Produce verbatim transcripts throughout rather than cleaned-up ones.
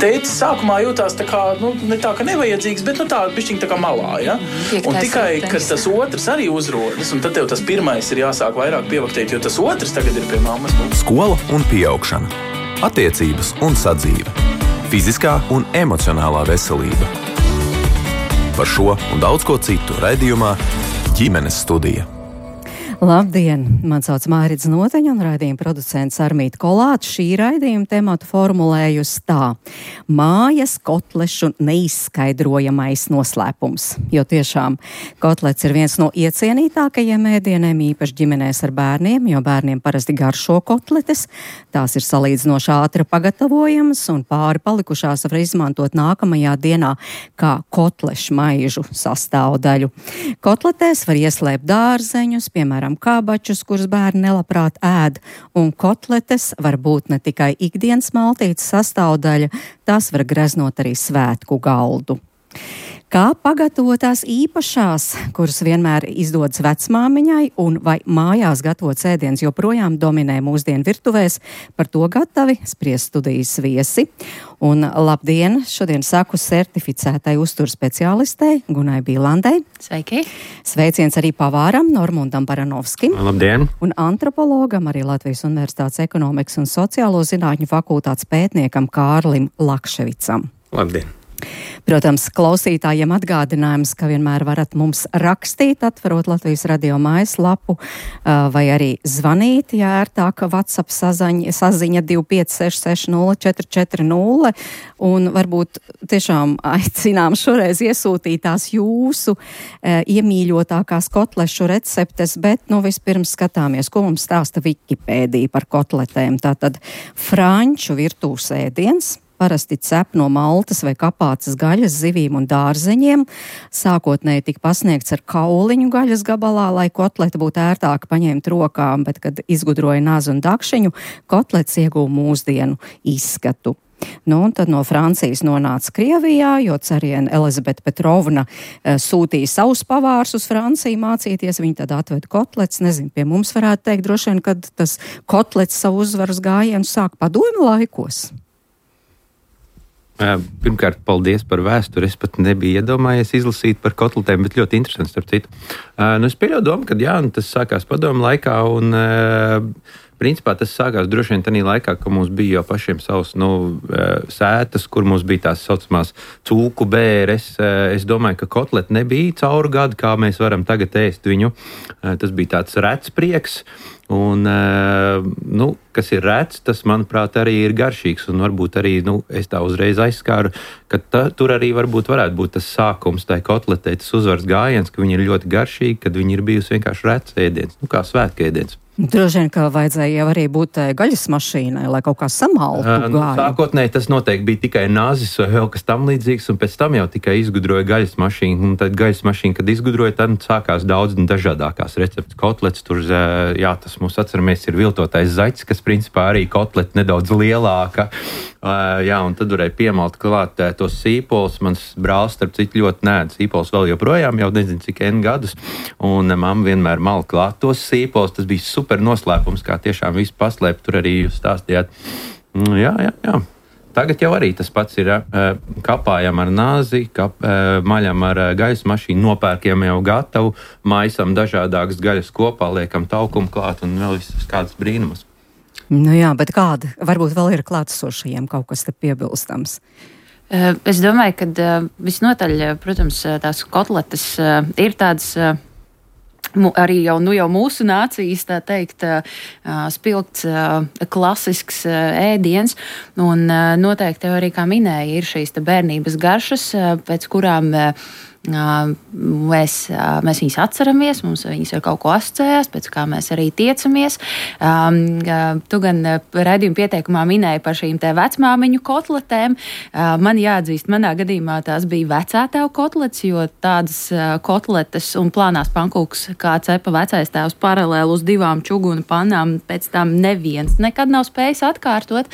tētis sākumā jūtās tā kā, nu, ne tā, ka nevajadzīgs, bet, nu, tā, bišķiņ tā kā malā, ja? Piektais un tikai, ritenis. kad tas otrs arī uzrodas, un tad tev tas pirmais ir jāsāk vairāk pievaktēt, jo tas otrs tagad ir pie mammas. Skola un pieaugšana. Attiecības un sadzīve. Fiziskā un emocionālā veselība. Par šo un daudz ko citu raidījumā Ģimenes studija. Labdien! Man sauc Mārits Noteņa un raidījuma producents Armīta Kolāte. Šī raidījuma tematu formulējusi tā: mājas kotlešu neizskaidrojamais noslēpums. Jo tiešām kotlets ir viens no iecienītākajiem ēdieniem, īpaši ģimenēs ar bērniem, jo bērniem parasti garšo kotletes. Tās ir salīdzinoši ātri pagatavojamas un pāri palikušās var izmantot nākamajā dienā kā kotlešu maižu sastāvdaļu. Kotletēs var ieslēpt dārzeņus, piemēram, kābačus, kurus bērni nelabprāt ēd, un kotletes var būt ne tikai ikdienas maltītes sastāvdaļa, tās var greznot arī svētku galdu. Kā pagatavotās īpašās, kuras vienmēr izdodas vecmāmiņai, un vai mājās gatavots ēdiens joprojām dominē mūsdienu virtuvēs, par to gatavi spriest studijas viesi. Un labdien, šodien saku certificētai uzturu speciālistei Gunai Bīlandei. Sveiki! Sveiciens arī pavāram Normundam Baranovskim. Labdien! Un antropologam, arī Latvijas Universitātes ekonomikas un sociālo zinātņu fakultātes pētniekam Kārlim Lakševicam. Labdien! Protams, klausītājiem atgādinājums, ka vienmēr varat mums rakstīt, atverot Latvijas radio mājaslapu, vai arī zvanīt, ja ērtāk WhatsApp saziņa, saziņa divi pieci seši seši nulle četri četri nulle, un varbūt tiešām aicinām šoreiz iesūtīt tās jūsu e, iemīļotākās kotlešu receptes, bet nu vispirms skatāmies, ko mums stāsta Wikipēdija par kotletēm. Tātad franču virtuves ēdiens. Parasti cep no maltas vai kapācas gaļas, zivīm un dārzeņiem. Sākotnēji tika pasniegts ar kauliņu gaļas gabalā, lai kotleti būtu ērtāk paņemt rokām, bet, kad izgudroja nazu un dakšiņu, kotlets ieguva mūsdienu izskatu. Nu, un tad no Francijas nonāca Krievijā, jo cariene Elizabete Petrovna e, sūtīja savus pavārus uz Franciju mācīties, viņi tad atveda kotlets, nezinu, pie mums varētu teikt droši vien, kad tas kotlets savu uzvaras gājienu sāk padomju laikos. Pirmkārt, paldies par vēsturi. Es pat nebiju iedomājies izlasīt par kotletēm, bet ļoti interesanti, starp citu. Nu, es pieļauju domu, ka jā, tas sākās padomu laikā, un principā tas sākās droši vien tādā laikā, ka mums bija jau pašiem savs nu, sētas, kur mums bija tās saucamās cūku bēres. Es domāju, ka kotleti nebija cauru gadu, kā mēs varam tagad ēst viņu. Tas bija tāds rets prieks. Un, nu, kas ir rēts, tas, manuprāt, arī ir garšīgs. Un varbūt arī, nu, es tā uzreiz aizskāru, ka ta, tur arī varbūt varētu būt tas sākums, tai kotletei, tas uzvaras gājiens, ka viņi ir ļoti garšīgi, kad viņi ir bijusi vienkārši rēts ēdiens, nu, kā svētku ēdiens. Droši vien, ka vajadzēja jau arī būt gaļas mašīnai, lai kaut kā samaltu gāju. Nu, sākotnēji tas noteikti bija tikai nazis vai vēl kas tam līdzīgs, un pēc tam jau tikai izgudroja gaļas mašīnu. Un tad gaļas mašīna, kad izgudroja, tad sākās daudz dažādākās receptes. Kotlets tur, jā, tas mums atceramies, ir viltotais zaķis, kas principā arī kotleti nedaudz lielāka. Jā, un tad varēja piemalt klāt tos sīpols. Mans brālis, starp citu, ļoti nēd sīpols vēl joprojām, jau nezinu cik N gadus. Un mamma vienmēr mal klāt tos sīpols. Tas bija super noslēpums, kā tiešām visu paslēpt. Tur arī jūs stāstījāt. Jā, jā, jā. Tagad jau arī tas pats ir. Kapājam ar nāzi, kap, maļam ar gaļas mašīnu, nopērkiem jau gatavu, maisam dažādākas gaļas kopā, liekam taukumu klāt un vēl visas kādas brīnumas. Nu jā, bet kāda? Varbūt vēl ir klātesošajiem kaut kas te piebilstams. Es domāju, ka visnotaļ, protams, tās kotletes ir tādas arī jau, nu jau mūsu nācijas, tā teikt, spilgts, klasisks ēdiens, un noteikti arī, kā minēja, ir šīs te bērnības garšas, pēc kurām Mēs, mēs viņus atceramies, mums viņas ar kaut ko asociējās, pēc kā mēs arī tiecamies. Um, tu gan raidījuma pieteikumā minēji par šīm te vecmāmiņu kotletēm. Uh, man jāatzīst, manā gadījumā tās bija vecētēvu kotletes, jo tādas uh, kotletes un plānās pankūks, kā cepa vecais tēvs paralēli uz divām čuguna pannām, pēc tam neviens nekad nav spējis atkārtot.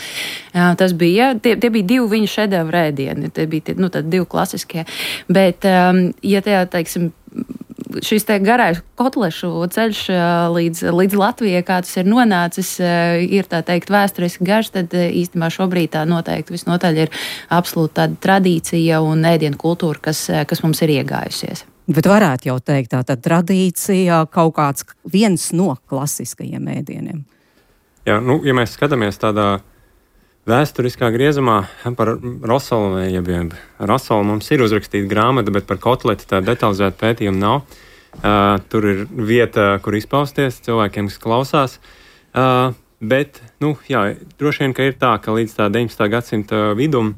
Uh, tas bija, tie, tie bija divi viņa šedevru ēdieni, tie bija tie, nu, tad divi klasiskie. Bet, um, ja tajā, teiksim, šis te garais kotlešu ceļš līdz, līdz Latvijai, kā tas ir nonācis, ir tā teikt vēsturiski garš, tad īstenībā šobrīd tā noteikti visnotaļ ir absolūti tāda tradīcija un ēdienu kultūra, kas, kas mums ir iegājusies. Bet varētu jau teikt, tā tad tradīcija kaut kāds viens no klasiskajiem ēdieniem. Jā, nu, ja mēs skatāmies tādā vēsturiskā griezumā par rosolu, jeb rosolu mums ir uzrakstīta grāmata, bet par kotleti tā detalizēta pētījuma nav. Uh, tur ir vieta, kur izpausties cilvēkiem, kas klausās. Uh, bet, nu, jā, droši vien, ka ir tā, ka līdz tā deviņdesmitā gadsimta vidum,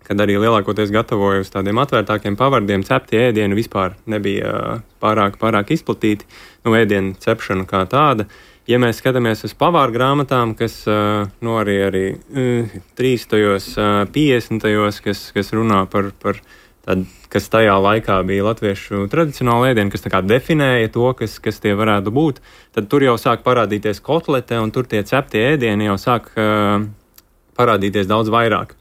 kad arī lielākoties gatavoja uz tādiem atvērtākiem pavardiem, ceptie ēdieni vispār nebija uh, pārāk, pārāk izplatīti, nu, ēdienu cepšana kā tāda. Ja mēs skatāmies uz pavāru grāmatām, kas uh, nu, arī, arī uh, trīstajos, uh, piecdesmitajos, kas, kas runā par, par tādu, kas tajā laikā bija latviešu tradicionāli ēdieni, kas tā kā definēja to, kas, kas tie varētu būt, tad tur jau sāk parādīties kotlete, un tur tie ceptie ēdieni jau sāk uh, parādīties daudz vairāk.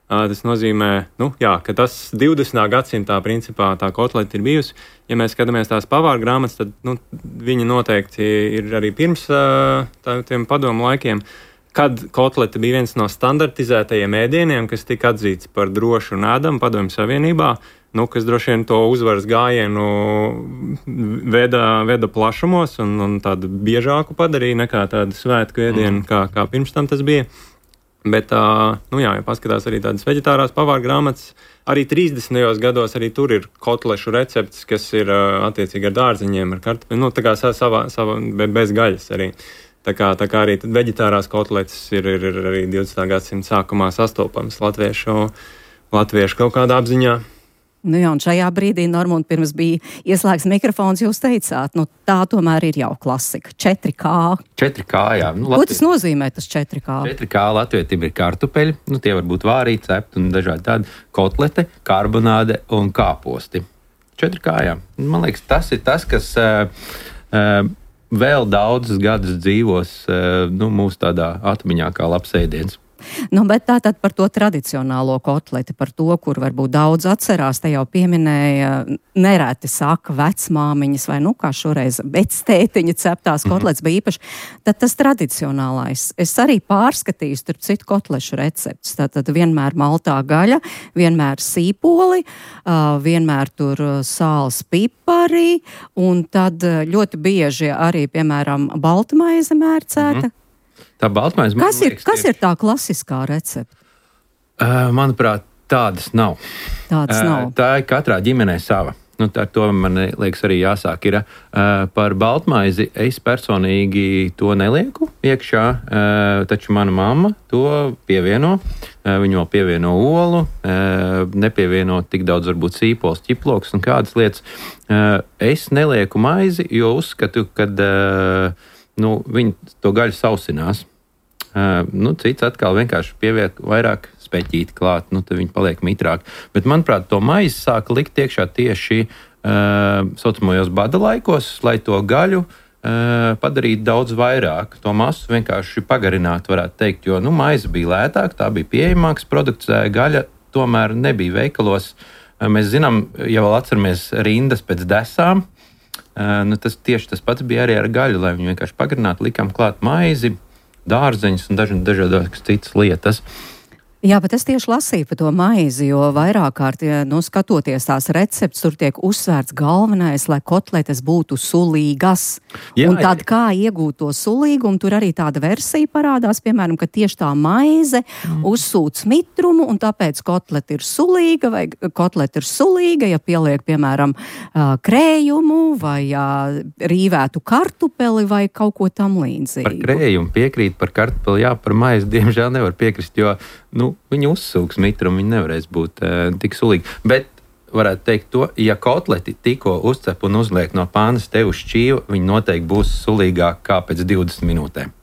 Uh, tas nozīmē, nu, jā, ka tas divdesmitā gadsimtā principā tā kotlete ir bijusi. Ja mēs skatāmies tās pavāru grāmatas, tad nu, viņi noteikti ir arī pirms uh, tā, tiem padomu laikiem, kad kotlete bija viens no standartizētajiem ēdieniem, kas tika atzīts par drošu un ēdamu padomju savienībā, nu, kas droši vien to uzvaras gājienu veda, veda plašumos un, un tādu biežāku padarīja nekā tādu svētku ēdienu, mm. kā, kā pirms tam tas bija. Bet, uh, nu jā, ja paskatās arī tādas veģetārās pavāru grāmatas, arī trīsdesmitajos gados arī tur ir kotlešu recepts, kas ir uh, attiecīgi ar dārziņiem, ar kartupeļiem, nu tā kā savā, savā, bez gaļas arī. Tā kā, tā kā arī veģetārās kotletes ir, ir, ir arī divdesmitā gadsimta sākumā sastopams latviešu, latviešu kaut kādā apziņā. Nu jā, un šajā brīdī, Normund, pirms bija ieslēgts mikrofons, jūs teicāt, nu tā tomēr ir jau klasika. četri kā. četri kā, jā. Nu, Ko tas nozīmē, tas četri kā? četri kā latvietim ir kartupeļi, nu tie var būt vārīti, cepti un dažādi tādi kotlete, karbonāde un kāposti. četri kā, jā. Man liekas, tas ir tas, kas uh, uh, vēl daudzus gadus dzīvos uh, nu, mūsu tādā atmiņā kā labs ēdiens. Nu, bet tātad par to tradicionālo kotleti, par to, kur varbūt daudz atcerās, te jau pieminēja, nereti saka vecmāmiņas vai, nu, kā šoreiz, vectētiņa ceptās mm-hmm. kotletes bija īpaši. Tad tas tradicionālais. Es arī pārskatīju, tur citu kotlešu receptus. Tātad vienmēr maltā gaļa, vienmēr sīpoli, vienmēr tur sāls pipari, un tad ļoti bieži arī, piemēram, baltmaize mērcēta. Mm-hmm. Tā baltmaize, man kas ir, liekas, kas ir tā klasiskā recepte? Uh, manuprāt, tādas nav. Tādas nav. Uh, tā ir katrā ģimenē sava. Nu, tā, to man liekas arī jāsāk. Ir, uh, par baltmaizi es personīgi to nelieku iekšā, uh, taču mana mamma to pievieno. Uh, viņa vēl pievieno olu, uh, nepievieno tik daudz varbūt sīpols, ķiploks un kādas lietas. Uh, es nelieku maizi, jo uzskatu, ka uh, nu, viņi to gaļu sausinās. Uh, nu, cits atkal vienkārši pieviek vairāk speķīti klāt, nu, tad viņi paliek mitrāk. Bet, manuprāt, to maizi sāka likt iekšā tieši uh, saucamajos bada laikos, lai to gaļu uh, padarītu daudz vairāk. To masu vienkārši pagarināt, varētu teikt, jo nu, maize bija lētāk, tā bija pieejamāks produkts, gaļa tomēr nebija veikalos. Uh, mēs zinām, ja vēl atceramies rindas pēc desām, Uh, nu, tas tieši tas pats bija arī ar gaļu, lai viņi vienkārši pagarinātu, likām klāt maizi, dārzeņus un dažādas dažādas citas lietas. Jā, bet es tieši lasīju par to maizi, jo vairāk kārt, ja, nu, skatoties tās recepts, tur tiek uzsvērts galvenais, lai kotletes būtu sulīgas. Jā, un tad kā iegūt to sulīgumu, tur arī tāda versija parādās, piemēram, ka tieši tā maize mm. uzsūc mitrumu, un tāpēc kotlete ir sulīga, vai kotlete ir sulīga, ja pieliek, piemēram, krējumu, vai rīvētu kartupeli, vai kaut ko tam līdzīgu. Par krējumu piekrīt, par kartupeli, jā, par maizi, diemžēl nevar piekrist, jo nu, viņi uzsūks mitrumu, viņi nevarēs būt uh, tik sulīgi. Bet varētu teikt to, ja kotleti tikko uzcep un uzliek no pānas tev uz šķīva, viņi noteikti būs sulīgāk kā pēc divdesmit minūtēm.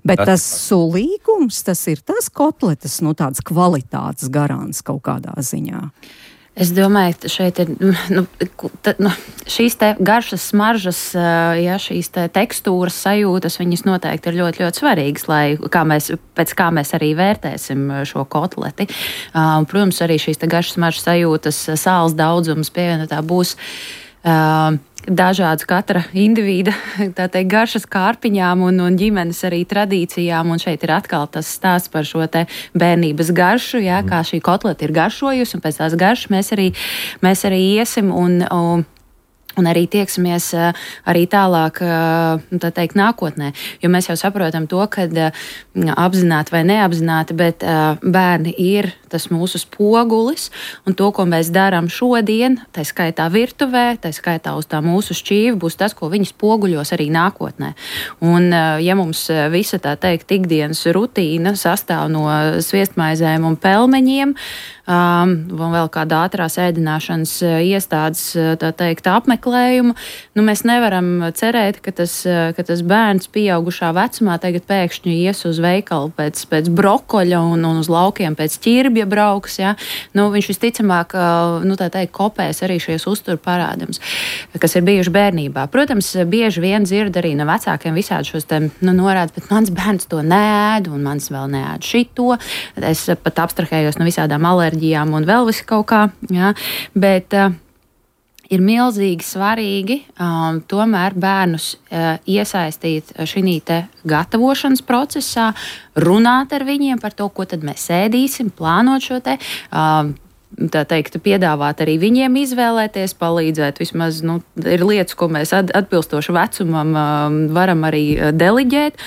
Bet tas, tas sulīgums, tas ir tas kotletes, nu, tāds kvalitātes garants kaut kādā ziņā. Es domāju, ka šeit ir nu, ta, nu, šīs te garšas, smaržas, ja, šīs te tekstūras sajūtas, viņas noteikti ir ļoti, ļoti svarīgas, lai kā mēs, pēc kā mēs arī vērtēsim šo kotleti. Uh, protams, arī šīs te garšas, smaržas sajūtas, sāls daudzums pievienotā būs uh, dažādas katra individa teikt, garšas kārpiņām un, un ģimenes arī tradīcijām. Un šeit ir atkal tas stāsts par šo te bērnības garšu, jā, kā šī kotleta ir garšojusi, un pēc tās garšas mēs arī, mēs arī iesim un, un Un arī tieksimies arī tālāk, tā teikt, nākotnē. Jo mēs jau saprotam to, ka apzināti vai neapzināti, bet bērni ir tas mūsu spogulis. Un to, ko mēs darām šodien, tā skaitā virtuvē, tā skaitā uz tā mūsu šķīvi, būs tas, ko viņi spoguļos arī nākotnē. Un ja mums visa tā teikt ikdienas rutīna sastāv no sviestmaizēm un pelmeņiem, Um, un vēl kāda ātrās ēdināšanas iestādes, tā teikt, apmeklējumu, nu mēs nevaram cerēt, ka tas, ka tas bērns pieaugušā vecumā tagad pēkšņi ies uz veikalu pēc, pēc brokoļa un, un uz laukiem pēc ķirbja brauks, ja? Nu, viņš visticamāk, nu tā teikt, kopēs arī šies uzturu parādums, kas ir bijuši bērnībā. Protams, bieži vien dzird arī no vecākiem visādi šos te, nu, norādes, bet mans bērns to neēd, un mans vēl neēd šito. Es pat abstrahējos no visādām alerģijām un vēl visi kaut kā, jā, bet uh, ir milzīgi svarīgi um, tomēr bērnus uh, iesaistīt šī te gatavošanas procesā, runāt ar viņiem par to, ko tad mēs ēdīsim, plānot šo te, um, tā teikt, piedāvāt arī viņiem izvēlēties, palīdzēt vismaz, nu, ir lietas, ko mēs at, atbilstoši vecumam um, varam arī deliģēt,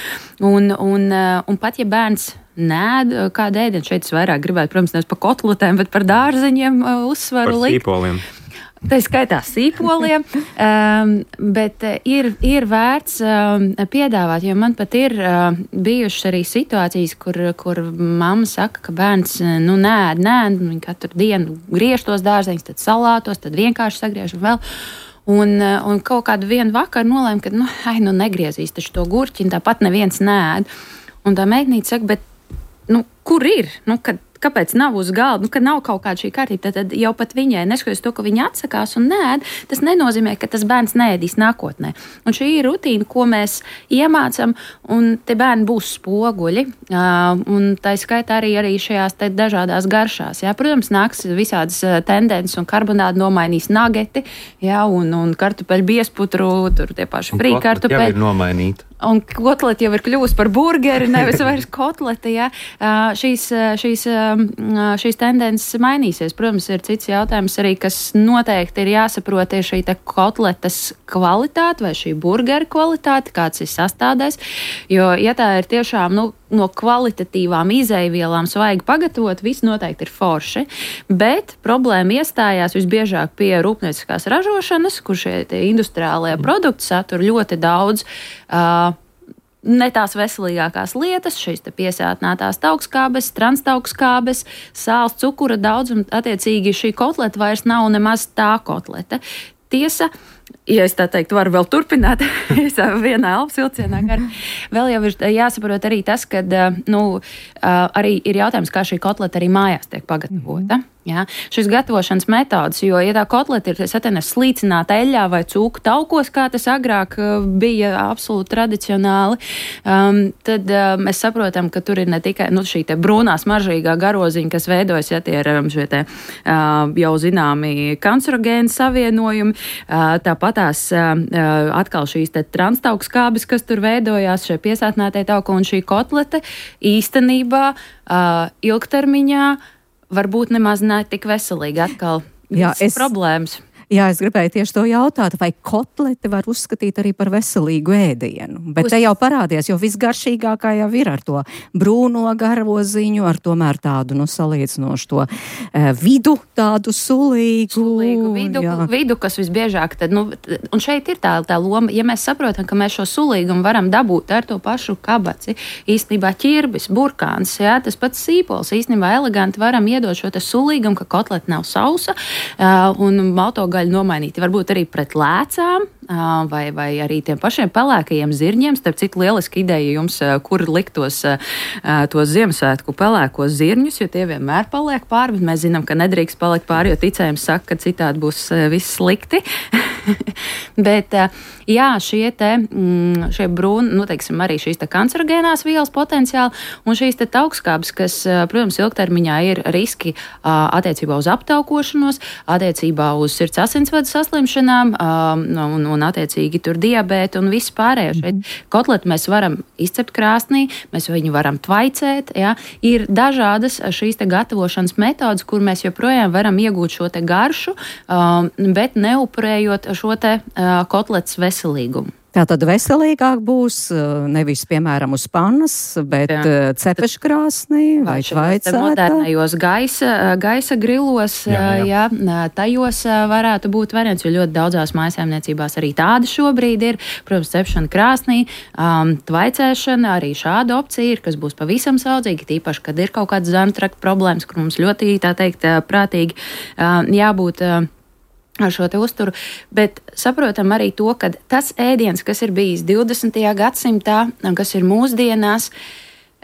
un, un, uh, un pat ja bērns nēd kādu ēdienu, šeit es vairāk gribētu, protams, nevis par kotletēm, bet par dārzeņiem uh, uzsvaru likt. Par sīpoliem. Tā skaitā sīpoliem, um, bet ir, ir vērts um, piedāvāt, jo man pat ir uh, bijušas arī situācijas, kur, kur mamma saka, ka bērns nu nēd, nēd, viņi katru dienu griež tos dārzeņus, tad salātos, tad vienkārši sagriež un vēl. Un, un kaut kādu vienu vakaru nolēma, ka nu, ai, nu negriezīs taču to gurķi, tāpat neviens nēd. Un tā meitnīca saka, bet nu, kur ir? Nu, kad, kāpēc nav uz galda? Nu, kad nav kaut kāda šī kārtība, tad, tad jau pat viņai, neskatoties to, ka viņa atsakās un nēd, tas nenozīmē, ka tas bērns neēdīs nākotnē. Un šī ir rutīna, ko mēs iemācam, un te bērni būs spoguļi, uh, un tā skaitā arī, arī šajās te dažādās garšās. Jā. Protams, nāks visādas tendences, un karbonādi nomainīs nageti, jā, un, un kartupeļu biesputru, tur tie paši frī kartupeļi. Jā, ir nomainīta. Un kotlete jau ir kļuvusi par burgeri, nevis vairs kotlete. Ja? Uh, šīs, šīs, uh, šīs tendences mainīsies. Protams, ir cits jautājums arī, kas noteikti ir jāsaprot, ir šī kotletes kvalitāte vai šī burgeri kvalitāte, kāds ir sastādēs. Jo, ja tā ir tiešām, nu, no kvalitatīvām izejvielām svaigi pagatavot, viss noteikti ir forši. Bet problēma iestājās visbiežāk pie rūpnieciskās ražošanas, kur šie industriālie produkti satur ļoti daudz uh, ne tās veselīgākās lietas, šīs te piesātinātās taukskābes, transtaukskābes, sāls, cukura daudz, un attiecīgi šī kotleta vairs nav nemaz tā kotleta. Tiesa, ja es tā teiktu, varu vēl turpināt, es vienā elpas vilcienā gar. Vēl jau ir jāsaprot arī tas, ka, nu, arī ir jautājums, kā šī kotleta arī mājās tiek pagatavota. Mm-hmm. Ja? Šis gatavošanas metodas, jo, ja tā kotleta ir, es atenu, slīcināta eļļā vai cūku taukos, kā tas agrāk bija absolūti tradicionāli, um, tad uh, mēs saprotam, ka tur ir ne tikai, nu, šī te brūnā smaržīgā garoziņa, kas veidojas, ja tie ir um, šie te uh, jau zināmi kancerogēni savienojumi, uh, tāpatās uh, atkal šīs te transtaukskābes, kas tur veidojās, šie piesātinātie tauki, un šī kotlete īstenībā uh, ilgtermiņā varbūt nemaz ne tik veselīgi atkal. Jā, es... problēmas. Jā, es gribēju tieši to jautāt, vai kotleti var uzskatīt arī par veselīgu ēdienu. Bet Uz... te jau parādies, jo visgaršīgākā jau ir ar to brūno garoziņu, ar tomēr tādu, nu, salīdzinošu to e, vidu, tādu sulīgu. Sulīgu vidu, vidu, kas visbiežāk tad, nu, un šeit ir tā, tā loma, ja mēs saprotam, ka mēs šo sulīgumu varam dabūt ar to pašu kabaci, īstenībā ķirbis, burkāns, jā, tas pats sīpols, īstenībā eleganti varam iedot šo te sulīgumu, ka kotleta nav sausa, uh, un maltogaļa nomainīti varbūt arī pret lēcām, vai, vai arī tiem pašiem pelēkajiem zirņiem. Starp citu, lieliski ideja jums, kur likt tos, tos Ziemassvētku pelēkos zirņus, jo tie vienmēr paliek pāri, bet mēs zinām, ka nedrīkst palikt pāri, jo ticējums saka, ka citādi būs viss slikti. Bet, jā, šie te, šie brūni, nu, teiksim, arī šīs te kancerogēnās vielas potenciāli un šīs te taukskābes, kas, protams, ilgtermiņā ir riski attiecībā uz aptaukošanos, attiecībā uz sirds asinsvadu saslimšanām un, un attiecīgi tur diabētu un viss pārējo. Šeit kotletu mēs varam izcept krāsnī, mēs viņu varam tvaicēt, jā. Ir dažādas šīs te gatavošanas metodas, kur mēs joprojām varam iegūt šo te garšu, bet neupurējot šo te kotletes veselīgumu. Tātad veselīgāk būs nevis, piemēram, uz pannas, bet jā. Cepeškrāsnī vai tvaicētā. Modernajos gaisa, gaisa grilos, jā, jā. Jā, tajos varētu būt variants, jo ļoti daudzās mājasēmniecībās arī tāda šobrīd ir. Protams, cepšana krāsnī, um, tvaicēšana, arī šāda opcija ir, kas būs pavisam saudzīgi, tīpaši, kad ir kaut kāds zarnu trakta problēmas, kur mums ļoti, tā teikt, prātīgi um, jābūt uh, ar šo te uzturu, bet saprotam arī to, ka tas ēdiens, kas ir bijis divdesmitajā gadsimtā, kas ir mūsdienās,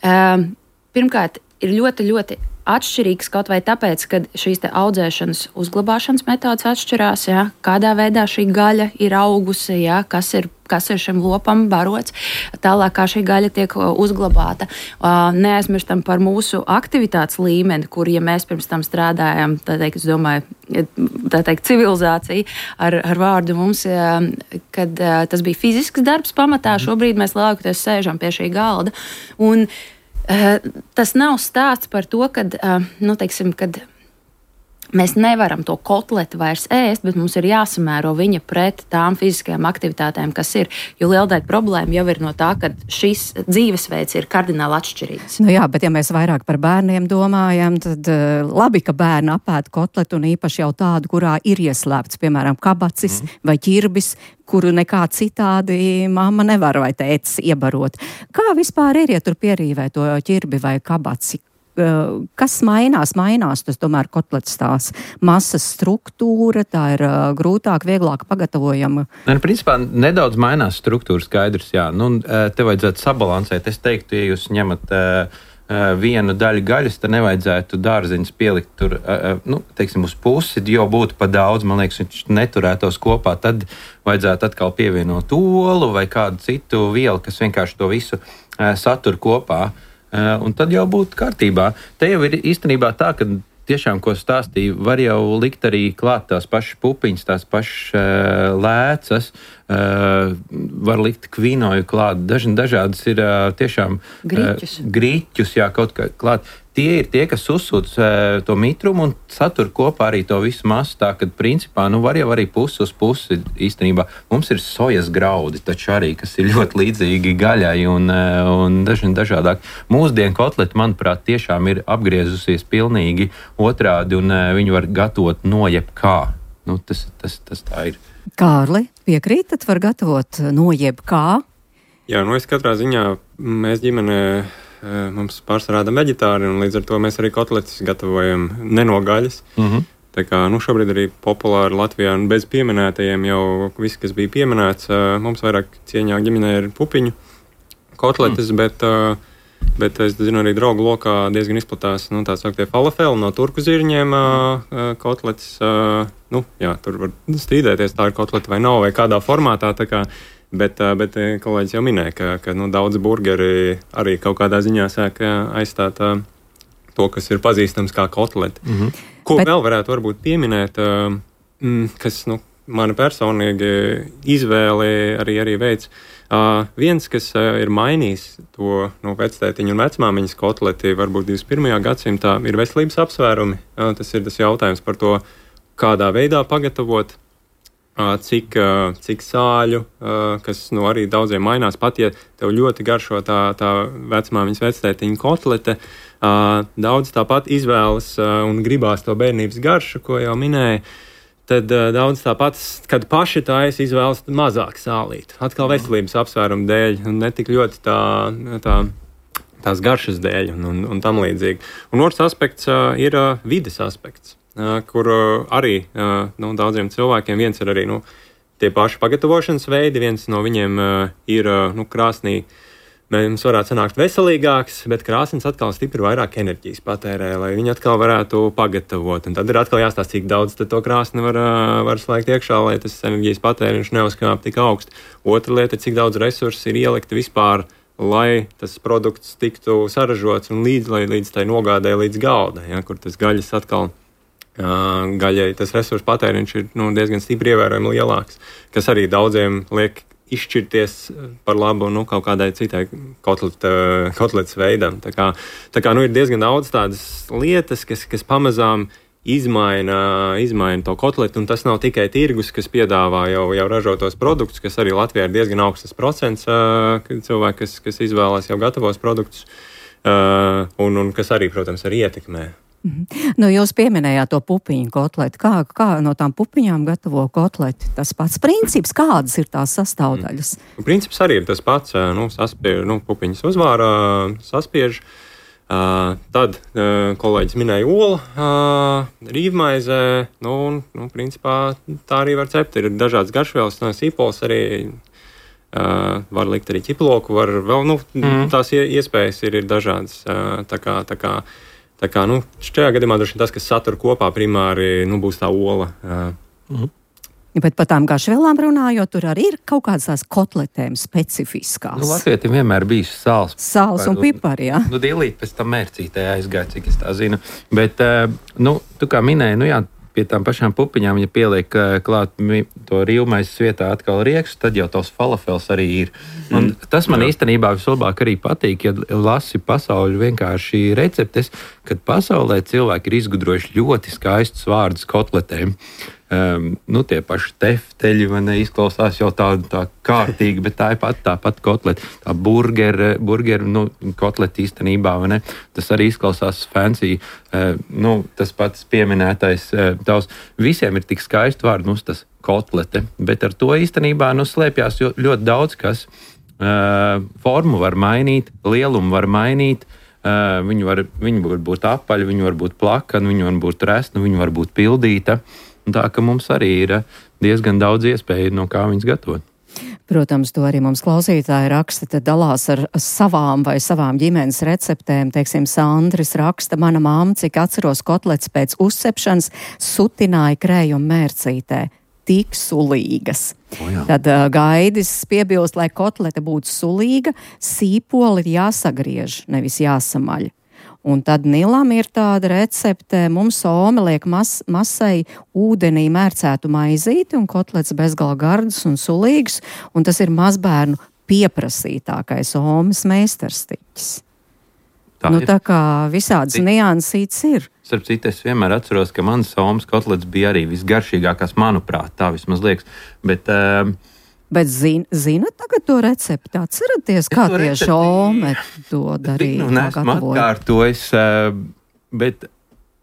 um, pirmkārt, ir ļoti, ļoti atšķirīgs kaut vai tāpēc, ka šīs te audzēšanas uzglabāšanas metodas atšķirās, jā, kādā veidā šī gaļa ir augusi, jā, kas ir kas ir šim lopam barots, tālāk kā šī gaļa tiek uzglabāta. Neaizmirstam par mūsu aktivitātes līmeni, kur, ja mēs pirms tam strādājam, tā teikt, es domāju, tā teikt, civilizācija ar, ar vārdu mums, kad tas bija fizisks darbs pamatā, šobrīd mēs lielākoties sēžam pie šī galda. Un tas nav stāsts par to, kad, nu, teiksim, kad mēs nevaram to kotleti vairs ēst, bet mums ir jāsamēro viņa pret tām fiziskajām aktivitātēm, kas ir. Jo liela daļa problēma jau ir no tā, ka šis dzīvesveids ir kardināli atšķirīgs. Nu jā, bet ja mēs vairāk par bērniem domājam, tad uh, labi, ka bērni apēd kotletu un īpaši jau tādu, kurā ir ieslēpts, piemēram, kabacis mm. vai ķirbis, kuru nekā citādi mamma nevar vai tētis iebarot. Kā vispār ir, ja tur pierīvē to ķirbi vai kabaci? Kas mainās? Mainās, tas tomēr kotletes tās masas struktūra, tā ir uh, grūtāk, vieglāk pagatavojama. Ne, principā nedaudz mainās struktūra, skaidrs, jā. Nu, te vajadzētu sabalansēt. Es teiktu, ja jūs ņemat uh, vienu daļu gaļas, tad nevajadzētu dārziņus pielikt tur, uh, nu, teiksim, uz pusi, jo būtu pa daudz, man liekas, viņš neturētos kopā, tad vajadzētu atkal pievienot olu vai kādu citu vielu, kas vienkārši to visu uh, satur kopā. Uh, un tad jau būtu kārtībā. Te jau ir īstenībā tā, ka tiešām, ko stāstīju, var jau likt arī klāt tās pašas pupiņas, tās pašas uh, lēcas, uh, var likt kvinoju klāt. Daž, dažādas ir uh, tiešām grīķus. Uh, grīķus, jā, kaut kā klāt. Tie ir tie, kas uzsūc uh, to mitrumu un satur kopā arī to visu masu, tā, kad principā, nu, var jau arī pusi uz pusi īstenībā. Mums ir sojas graudi, taču arī, kas ir ļoti līdzīgi gaļai un, uh, un dažni dažādāk. Mūsdienu kotleti, manuprāt, tiešām ir apgriezusies pilnīgi otrādi un uh, viņu var gatavot no jebkā. Nu, tas, tas, tas tā ir. Kārli, piekrītat, var gatavot no jebkā? Jā, nu es katrā ziņā, mēs ģimenē mums pārsvarā veģetāri, un līdz ar to mēs arī kotletes gatavojam ne no gaļas. Uh-huh. Tā kā, nu, šobrīd arī populāri Latvijā, un bez pieminētajiem jau viss, kas bija pieminēts, mums vairāk cieņā ģimenē ir pupiņu kotletes, mm. bet, bet es zinu, arī draugu lokā diezgan izplatās, nu, tā sauktie falafeli no turku zirņiem kotletes. Nu, jā, tur var strīdēties, tā ir kotlete vai nav, vai kādā formātā, tā kā. Bet, bet kolēģis jau minēja, ka, ka nu, daudz burgeri arī kaut kādā ziņā sāk aizstāt uh, to, kas ir pazīstams kā kotleti. Mm-hmm. Ko bet... vēl varētu varbūt pieminēt, uh, mm, kas nu, mana personīgi izvēle arī, arī veids. Uh, viens, kas uh, ir mainījis to no vectētiņa un vecmāmiņas kotleti, varbūt divdesmit pirmajā gadsimtā, ir veselības apsvērumi. Uh, tas ir tas jautājums par to, kādā veidā pagatavot. Cik, cik sāļu, kas nu, arī daudziem mainās. Pat, ja tev ļoti garšo tā, tā vecmāmiņas vectētiņa kotlete, daudz tāpat izvēlas un gribās to bērnības garšu, ko jau minēja, tad daudz tāpat, kad paši taisa, izvēlas mazāk sālīt. Atkal veselības apsvērumu dēļ, un ne tik ļoti tā, tā, tās garšas dēļ un, un, un tam līdzīgi. Un otrs aspekts ir vides aspekts. Kur arī nu, daudziem cilvēkiem viens ir arī nu, tie paši pagatavošanas veidi. Viens no viņiem uh, ir uh, nu, krāsnī. Mums varētu sanākt veselīgāks, bet krāsnes atkal stipri vairāk enerģijas patērē, lai viņi atkal varētu pagatavot. Un tad ir atkal jāstāsta, cik daudz to krāsni var, var slēgt iekšā, lai tas enerģijas patēriņš neuzkāp tik augstu. Otra lieta ir, cik daudz resursu ir ielikti vispār, lai tas produkts tiktu saražots un līdz, lai līdz tai nogādē līdz galda, ja, kur tas gaļas atkal, uh, gaļai tas resursu patēriņš ir nu, diezgan stipri ievērojami lielāks, kas arī daudziem liek izšķirties par labu nu, kaut kādai citai kotleta, kotletes veidam. Tā kā, tā kā nu, ir diezgan daudz tādas lietas, kas, kas pamazām izmaina, izmaina to kotletu, un tas nav tikai tirgus, kas piedāvā jau, jau ražotos produktus, kas arī Latvijā ir diezgan augsts procents cilvēki, kas, kas izvēlās jau gatavos produktus, un, un kas arī, protams, arī ietekmē. Mm-hmm. Nu, jūs pieminējāt to pupiņu kotleti. Kā, kā no tām pupiņām gatavo kotleti? Tas pats princips, kādas ir tās sastāvdaļas? Mm. Princips arī ir tas pats. Nu, saspiež, nu, pupiņas uzvārā, saspiež. Uh, tad uh, kolēģis minēja olu, uh, rīvmaizē. Nu, un, nu, principā tā arī var cept. Ir dažādas garšvielas, no sīpols arī. Uh, var likt arī ķiploku, var vēl, nu, mm. tās iespējas ir, ir dažādas. Uh, tā kā, tā kā Tā kā, nu, šajā gadījumā droši vien tas, kas satur kopā primāri, nu, būs tā ola. Mhm. Ja, bet par tām garšvielām runājot, tur arī ir kaut kādas tās kotletēm specifiskās. Nu, Latvietim vienmēr bijis sāls. Sāls un pipari, jā. Nu, dīlīt pēc tam mērcītē aizgāja, cik es tā zinu. Bet, nu, tu kā minēji, nu jā, pie tām pašām pupiņām, ja pieliek klāt to rīvmaizes vietā atkal riekstu, tad jau tos falafels arī ir. Un tas man Jā. īstenībā vislabāk arī patīk, ja lasi pasauļu vienkārši receptes, kad pasaulē cilvēki ir izgudrojuši ļoti skaistus vārdus kotletēm. Um, nu, tie paši tefteļi, man neizklausās jau tā, tā kārtīgi, bet tā ir pat tā pat kotleta. Tā burgera, burgera nu, kotleta īstenībā, vai ne? Tas arī izklausās fancy. Uh, nu, tas pats pieminētais uh, tavs. Visiem ir tik skaisti vārdi, nu, tas kotlete, bet ar to īstenībā nu, slēpjās ļoti daudz kas. Uh, formu var mainīt, lielumu var mainīt. Uh, viņi, var, viņi var būt apaļi, viņi var būt plakani, viņi var būt resni, viņi var būt pildīta. Tā ka mums arī ir diezgan daudz iespēju, no kā viņas gatavot. Protams, to arī mums klausītāji raksta, tad dalās ar savām vai savām ģimenes receptēm. Teiksim, Sandris raksta, mana mamma, cik atceros kotlets pēc uzcepšanas, sutināja krējumu mērcītē. Tik sulīgas. O, tad uh, Gaidis piebilst, lai kotlete būtu sulīga, sīpoli ir jāsagriež, nevis jāsamaļ. Un tad Nilam ir tāda recepte, mums Ome liek mas, masai ūdenī mērcētu maizīti un kotlets bezgala gardas un sulīgs, un tas ir mazbērnu pieprasītākais Omes meistarstiķis. Tā, nu, tā kā visādas niansītes ir. Starp citu, es vienmēr atceros, ka mans Omes kotlets bija arī visgaršīgākās, manuprāt, tā vismaz liekas. Bet, uh, Bet zin, zina tagad to recepti? Atceraties, kā tieši Ome to darīja? Nu, nesmu atkārtojis, bet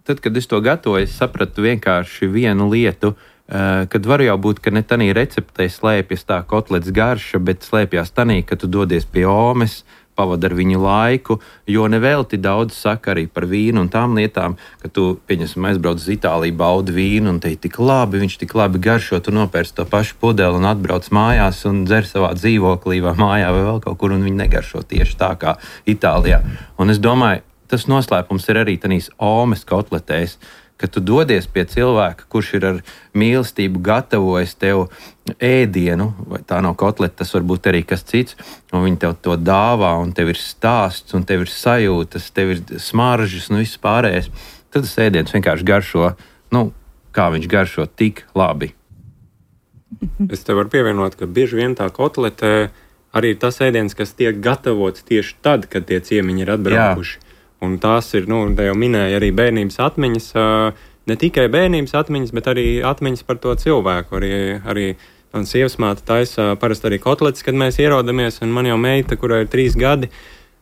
tad, kad es to gatavoju, es sapratu vienkārši vienu lietu, kad var jau būt, ka ne tanī receptē slēpjas tā kotlets garša, bet slēpjas tanī, ka tu dodies pie Omes, pavadi ar viņu laiku, jo nevelti daudz saka arī par vīnu un tām lietām, ka tu, pieņemsim, aizbrauc uz Itāliju, baudi vīnu un te ir tik labi, viņš tik labi garšo, tu nopērci to pašu pudeli un atbrauc mājās un dzer savā dzīvoklī vai mājā vai vēl kaut kur un viņi negaršo tieši tā kā Itālijā. Un es domāju, tas noslēpums ir arī tanīs Omes kotletēs, ka tu dodies pie cilvēka, kurš ir ar mīlestību gatavojis tev ēdienu, vai tā nav kotleta, tas var būt arī kas cits, un viņi tev to dāvā, un tev ir stāsts, un tev ir sajūtas, tev ir smaržas, un viss pārējais. Tad tas ēdiens vienkārši garšo, nu, kā viņš garšo tik labi. Es te varu pievienot, ka bieži vien tā kotlete arī ir tas ēdiens, kas tiek gatavots tieši tad, kad tie ciemiņi ir atbraukuši. Jā. Un tās ir, nu, te jau minēja arī bērnības atmiņas, ne tikai bērnības atmiņas, bet arī atmiņas par to cilvēku. Arī, arī man sievasmāte taisa parasti arī kotletes, kad mēs ierodamies, un man jau meita, kurai ir trīs gadi,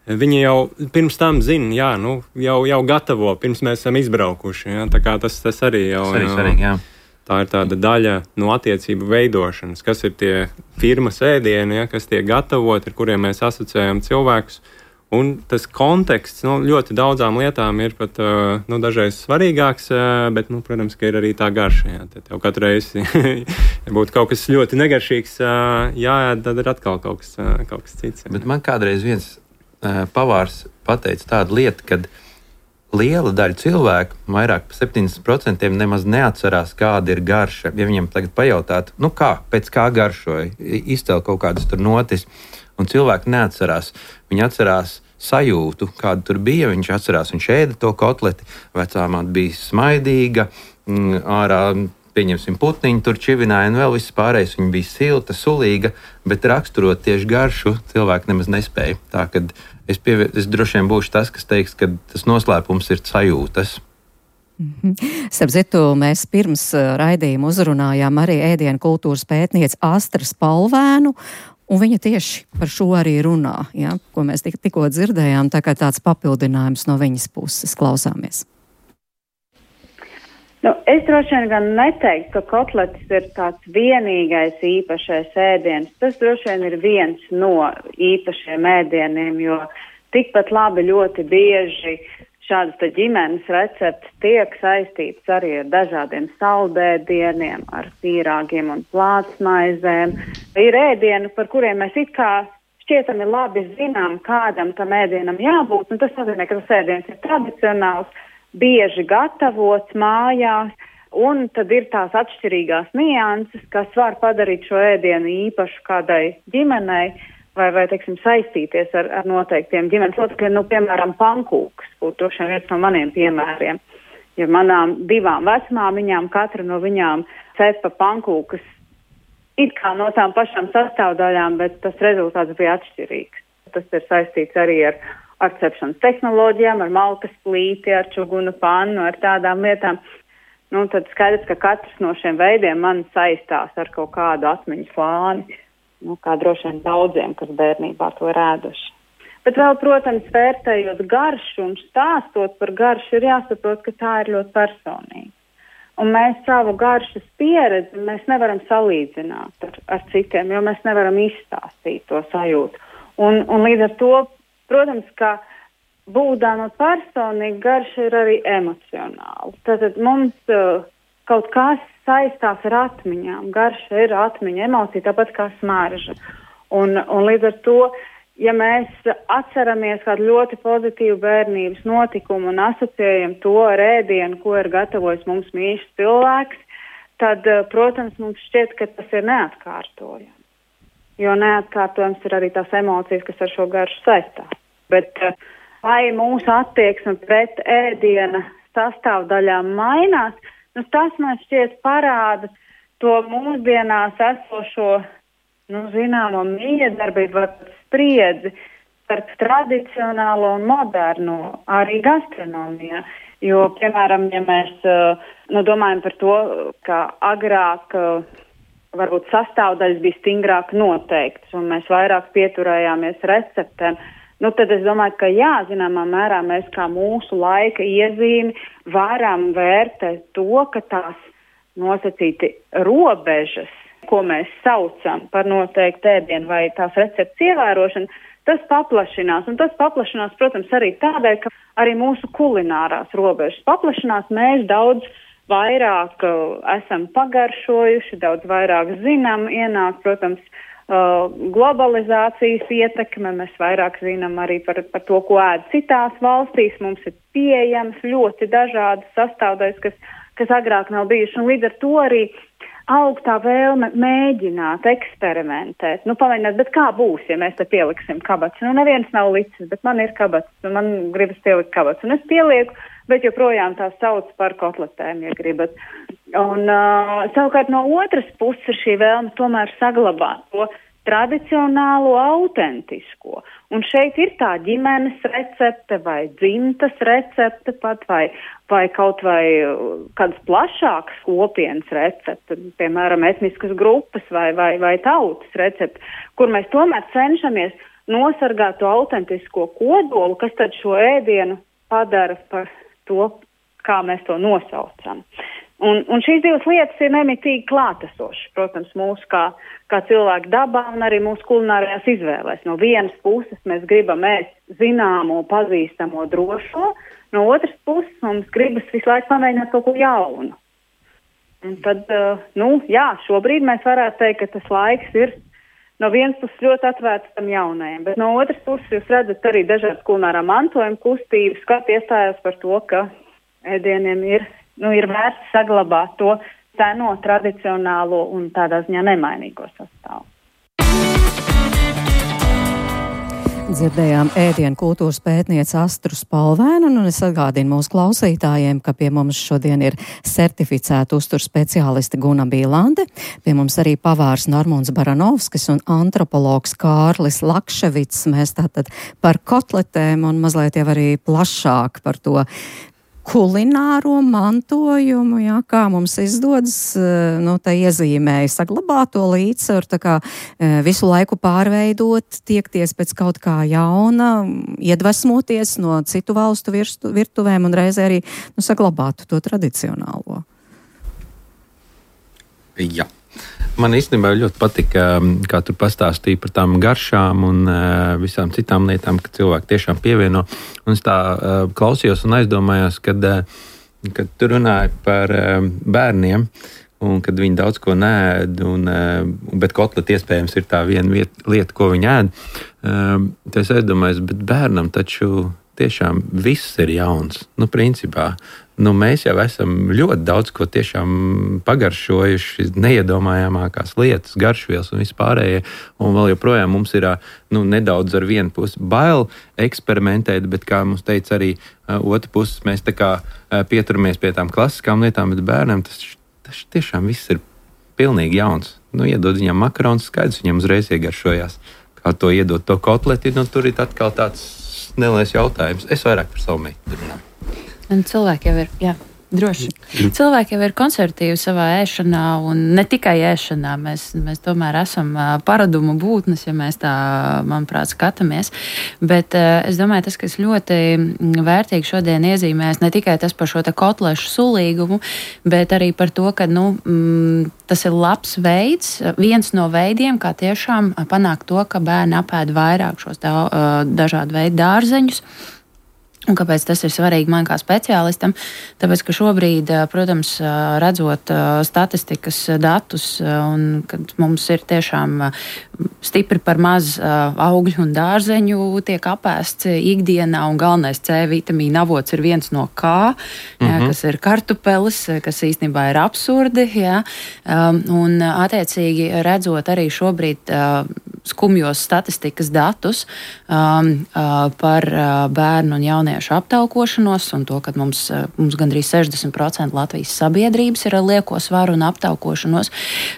viņa jau pirms tam zina, jā, nu, jau, jau gatavo, pirms mēs esam izbraukuši. Jā, tā kā tas, tas arī jau... Tas arī svarīgi, jā. Tā ir tāda daļa no attiecību veidošanas, kas ir tie firmas ēdieni, ja, kas tiek gatavoti, ar kuriem mēs asociējam cilvēkus. Un tas konteksts nu, ļoti daudzām lietām ir pat nu, dažreiz svarīgāks, bet, nu, protams, ka ir arī tā garša. Jā. Tad jau katru reizi, ja būtu kaut kas ļoti negaršīgs, jāēd, tad ir atkal kaut kas, kaut kas cits. Jā. Bet man kādreiz viens pavārs pateica tādu lietu, kad liela daļa cilvēku, vairāk par septiņdesmit procenti nemaz neatcerās, kāda ir garša. Ja viņiem tagad pajautātu, nu kā, pēc kā garšoja, izcēl kaut kādas tur notis, un cilvēki neatcerās. Viņi atcerās sajūtu, kāda tur bija. Viņš atcerās, viņš ēda to kotleti, vecāmāt bija smaidīga, ārā, pieņemsim, putniņu tur čivināja, un vēl viss pārējais. Viņa bija silta, sulīga, bet raksturot tieši garšu cilvēki nemaz nespēja. Tā, kad es, pievie, es droši vien būšu tas, kas teiks, ka tas noslēpums ir sajūtas. Mm-hmm. Starp citu, mēs pirms raidījuma uzrunājām arī ēdienu kultūras pētnieci Astru Spalvēnu, un viņa tieši par šo arī runā, ja, ko mēs tik, tikko dzirdējām, tā kā tāds papildinājums no viņas puses. Klausāmies. Nu, es droši vien gan neteiktu, ka kotletes ir tāds vienīgais īpašais ēdiens. Tas droši vien ir viens no īpašiem ēdieniem, jo tikpat labi ļoti bieži šādas te ģimenes receptes tiek saistītas arī ar dažādiem saldēdieniem, ar pīrāgiem un plātsmaizēm. Ir ēdieni, par kuriem mēs it kā šķietami labi zinām, kādam tam ēdienam jābūt, un tas nozīmē, ka tas ēdiens ir tradicionāls, bieži gatavots mājās, un tad ir tās atšķirīgās nianses, kas var padarīt šo ēdienu īpašu kādai ģimenei, vai, vai teiksim, saistīties ar, ar noteiktiem ģimenes locekļiem, nu, piemēram, pankūks, būtu droši vien viens no maniem piemēriem. Ja manām divām vecmāmiņām, katra no viņām cepa pankūkas it kā no tām pašām sastāvdaļām, bet tas rezultāts bija atšķirīgs. Tas ir saistīts arī ar, ar cepšanas tehnoloģijām, ar malkas plīti, ar čugunu pannu, ar tādām lietām. Nu, tad skaidrs, ka katrs no šiem veidiem man saistās ar kaut kādu atmiņu slāni. Nu, kā droši vien daudziem, kas bērnībā to ir ēduši. Bet vēl, protams, vērtējot garšu un stāstot par garšu, ir jāsaprot, ka tā ir ļoti personīga. Un mēs savu garšas pieredzi mēs nevaram salīdzināt ar, ar citiem, jo mēs nevaram izstāstīt to sajūtu. Un, un līdz ar to, protams, ka būdama personīga garša ir arī emocionāla. Tātad mums uh, kaut kas saistās ar atmiņām. Garša ir atmiņa, emocija, tāpat kā smarža. Un, un līdz ar to, ja mēs atceramies kādu ļoti pozitīvu bērnības notikumu un asociējam to ar ēdienu, ko ir gatavojis mums mīļš cilvēks, tad, protams, mums šķiet, ka tas ir neatkārtojams. Jo neatkārtojams ir arī tās emocijas, kas ar šo garšu saistās. Bet vai mūsu attieksme pret ēdiena sastāvdaļām mainās, nu, tas man šķiet parāda to mūsdienās esošo, nu, zināmo miedarbību vai spriedzi starp tradicionālo un moderno arī gastronomijā. Jo, piemēram, ja mēs nu, domājam par to, ka agrāk varbūt sastāvdaļas bija stingrāk noteiktas un mēs vairāk pieturējāmies receptēm, nu, tad es domāju, ka jā, zināmā mērā mēs kā mūsu laika iezīmi varam vērtēt to, ka tās nosacīti robežas, ko mēs saucam par noteiktu ēdienu vai tās receptes ievērošanu, tas paplašinās. Un tas paplašinās, protams, arī tādēļ, ka arī mūsu kulinārās robežas paplašinās. Mēs daudz vairāk uh, esam pagaršojuši, daudz vairāk zinām, ienāk, protams, Uh, globalizācijas ietekme, mēs vairāk zinām arī par, par to, ko ēd citās valstīs, mums ir pieejams ļoti dažādas sastāvdaļas, kas, kas agrāk nav bijuši, un līdz ar to arī aug tā vēlme mēģināt, eksperimentēt, nu pamēģināt, bet kā būs, ja mēs te pieliksim kabats, nu neviens nav licis, bet man ir kabats, un man gribas pielikt kabats, un es pielieku, bet joprojām tā sauc par kotletēm, ja gribat. Un uh, savukārt no otras puses šī vēlme tomēr saglabāt to tradicionālo, autentisko. Un šeit ir tā ģimenes recepte vai dzimtas recepte pat vai, vai kaut vai kādas plašākas kopienas recepte, piemēram, etniskas grupas vai, vai, vai tautas recepte, kur mēs tomēr cenšamies nosargāt to autentisko kodolu, kas tad šo ēdienu padara par to, kā mēs to nosaucam. Un, un šīs divas lietas ir nemitīgi klātesošas, protams, mūsu kā, kā cilvēku dabā un arī mūsu kulinārajās izvēlēs. No vienas puses mēs gribam ēst zināmo, pazīstamo, drošo, no otras puses mums gribas visu laiku pamēģināt kaut ko jaunu. Un tad, nu, jā, šobrīd mēs varētu teikt, ka tas laiks ir no vienas puses ļoti atvērts tam jaunajam, bet no otras puses jūs redzat arī dažādas kulinārā mantojuma kustības, kā iestājās par to, ka ēdieniem ir Nu, ir vērts saglabāt to seno, tradicionālo un tādā ziņā nemainīgo sastāvu. Dzirdējām ēdienu kultūras pētniece Astru Spalvēnu, un es atgādinu mūsu klausītājiem, ka pie mums šodien ir certificēta uzturu speciāliste Guna Bīlande, pie mums arī pavārs Normunds Baranovskis un antropologs Kārlis Lakševits. Mēs tātad par kotletēm un mazliet jau arī plašāk par to kulināro mantojumu, jā, kā mums izdodas, nu, tā iezīmēja saglabāt to līdzsvaru, tā kā visu laiku pārveidot, tiekties pēc kaut kā jauna, iedvesmoties no citu valstu virstu, virtuvēm un reizē arī, nu, saglabāt to tradicionālo. Jā. Man īstenībā ļoti patika, kā tur pastāstīja par tām garšām un uh, visām citām lietām, ka cilvēki tiešām pievieno. Un es tā uh, klausījos un aizdomājos, kad, uh, kad tu runāji par uh, bērniem un kad viņi daudz ko neēd, un, uh, bet kotleti iespējams ir tā viena vieta, lieta, ko viņi ēd. Uh, tad es aizdomājos, bet bērnam taču tiešām viss ir jauns. Nu, principā. Nu, mēs jau esam ļoti daudz ko tiešām pagaršojuši, neiedomājamākās lietas, garšvielas un vispārējie. Un vēl joprojām mums ir nu, nedaudz ar vienu pusi bail eksperimentēt, bet, kā mums teica arī uh, otra puses, mēs tā kā uh, pieturamies pie tām klasiskām lietām, bet bērnam tas, tas tiešām viss ir pilnīgi jauns. Nu, iedod viņam makarons, skaidrs, viņam uzreiz iegaršojās. Kā to iedot to kotleti, nu, tur ir atkal tāds neliels jautājums. Es vairāk par savu meitu runāju. Un cilvēki jau ir, jā, droši. Cilvēki jau ir konservatīvi savā ēšanā, un ne tikai ēšanā. Mēs, mēs tomēr esam paradumu būtnes, ja mēs tā, manuprāt, skatāmies. Bet es domāju, tas, kas ļoti vērtīgi šodien iezīmēs, ne tikai tas par šo te kotlešu sulīgumu, bet arī par to, ka, nu, mm, tas ir labs veids, viens no veidiem, kā tiešām panākt to, ka bērni apēd vairāk šos da, dažādu veidu dārzeņus. Un kāpēc tas ir svarīgi man kā speciālistam? Tāpēc, ka šobrīd, protams, redzot statistikas datus, un kad mums ir tiešām stipri par maz augļu un dārzeņu tiek apēsts ikdienā, un galvenais C vitamīna avots ir viens no K, mm-hmm. jā, kas ir kartupelis, kas īstenībā ir absurdi, jā, un attiecīgi redzot arī šobrīd skumjos statistikas datus par bērnu un jauniešu aptaukošanos un to, ka mums, mums gandrīz sešdesmit procenti Latvijas sabiedrības ir ar lieko svaru un aptaukošanos,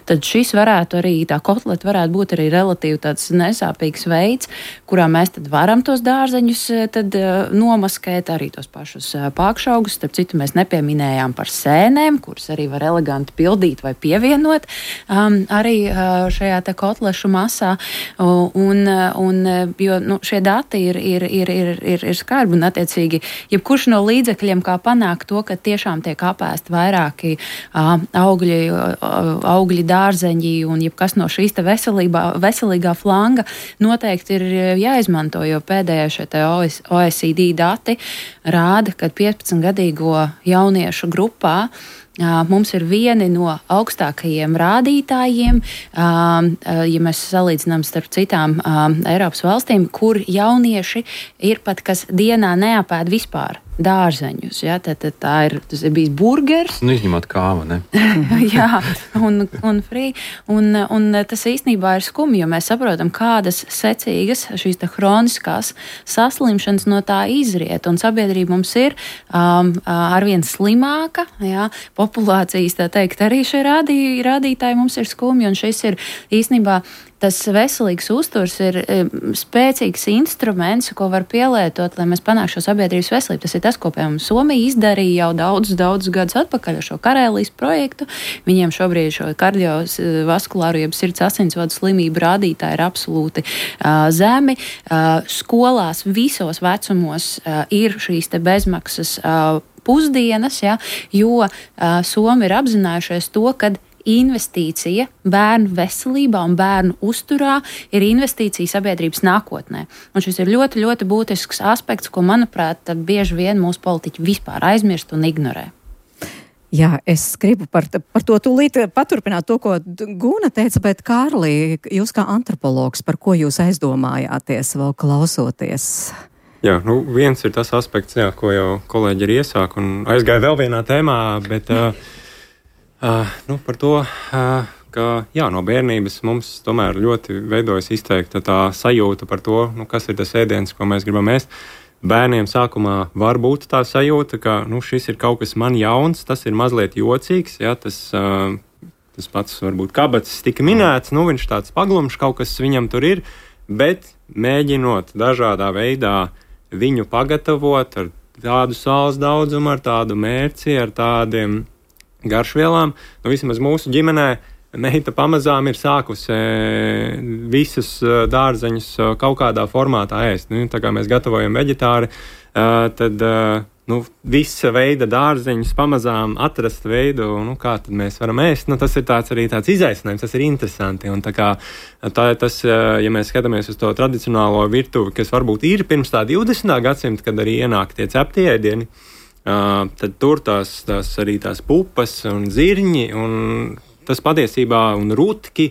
tad šis varētu arī, tā kotleta varētu būt arī relatīvi tāds nesāpīgs veids, kurā mēs tad varam tos dārzeņus tad nomaskēt, arī tos pašus pākšaugus. Starp citu, mēs nepieminējām par sēnēm, kuras arī var eleganti pildīt vai pievienot um, arī uh, šajā te kotlešu masā. Un, un, jo nu, šie dati ir, ir, ir, ir, ir, ir skarbi un attiecīgi, jebkurš no līdzekļiem, kā panākt to, ka tiešām tiek apēst vairāki uh, augļi, uh, augļi, dārzeņi un jebkas no šīs te veselībā, veselīgā flanga noteikti ir jāizmanto, jo pēdējie šie te O E C D dati rāda, ka piecpadsmitgadīgo jauniešu grupā mums ir vieni no augstākajiem rādītājiem, ja mēs salīdzinām starp citām Eiropas valstīm, kur jaunieši ir pat, kas dienā neapēd vispār dārzeņus. Ja? Tā, tā, tā ir, tas ir bijis burgers. Nu, izņemot kāvu, ne? Jā, un, un free. Un, un tas īstenībā ir skumji, jo mēs saprotam, kādas secīgas šīs tā hroniskās saslimšanas no tā izriet. Un sabiedrība mums ir um, arvien slimāka. Ja? Populācijas, tā teikt, arī šie rādī, rādītāji mums ir skumji. Un šis ir īstenībā tas veselīgs uzturs ir spēcīgs instruments, ko var pielietot, lai mēs panāktu šo sabiedrības veselību. Tas ir tas, ko, piemēram, Somija izdarīja jau daudzus, daudzus gadus atpakaļ ar šo Karēlijas projektu. Viņiem šobrīd šo kardiovaskulāru, jeb sirds asinsvadu slimību rādītāji ir absolūti uh, zemi. Uh, skolās visos vecumos uh, ir šīs te bezmaksas uh, pusdienas, ja, jo uh, Somi ir apzinājušies to, kad investīcija bērnu veselībā un bērnu uzturā ir investīcija sabiedrības nākotnē. Un šis ir ļoti, ļoti būtisks aspekts, ko, manuprāt, bieži vien mūsu politiķi vispār aizmirst un ignorē. Jā, es gribu par, par to tūlīt paturpināt to, ko Guna teica, bet Kārli, jūs kā antropologs, par ko jūs aizdomājāties vēl klausoties? Jā, nu viens ir tas aspekts, jā, ko jau kolēģi ir iesāk un aizgāja vēl vienā tēmā, bet... Uh, Uh, nu, par to, uh, ka jā, no bērnības mums tomēr ļoti veidojas izteikta tā sajūta par to, nu, kas ir tas ēdiens, ko mēs gribam ēst. Bērniem sākumā var būt tā sajūta, ka nu, šis ir kaut kas man jauns, tas ir mazliet jocīgs, jā, tas, uh, tas pats varbūt kabatas tika minēts, nu, viņš tāds paglumšs, kaut kas viņam tur ir, bet mēģinot dažādā veidā viņu pagatavot ar tādu sāls daudzumu, ar tādu mērci, ar tādiem garšvielām. Nu, vismaz mūsu ģimenē meita pamazām ir sākusi e, visus e, dārzeņus e, kaut kādā formātā ēst. Nu, tā kā mēs gatavojam veģetāri, e, tad e, nu, visa veida dārzeņus pamazām atrast veidu, nu, kā tad mēs varam ēst. Nu, tas ir tāds arī tāds izaicinājums, tas ir interesanti. Un tā kā tā, tas, ja mēs skatāmies uz to tradicionālo virtuvi, kas varbūt ir pirms tā divdesmitā gadsimta, kad arī ienāk tie ceptie ēdieni, Uh, tad tur tās, tās arī tās pupas un zirņi, un tas patiesībā un rutki,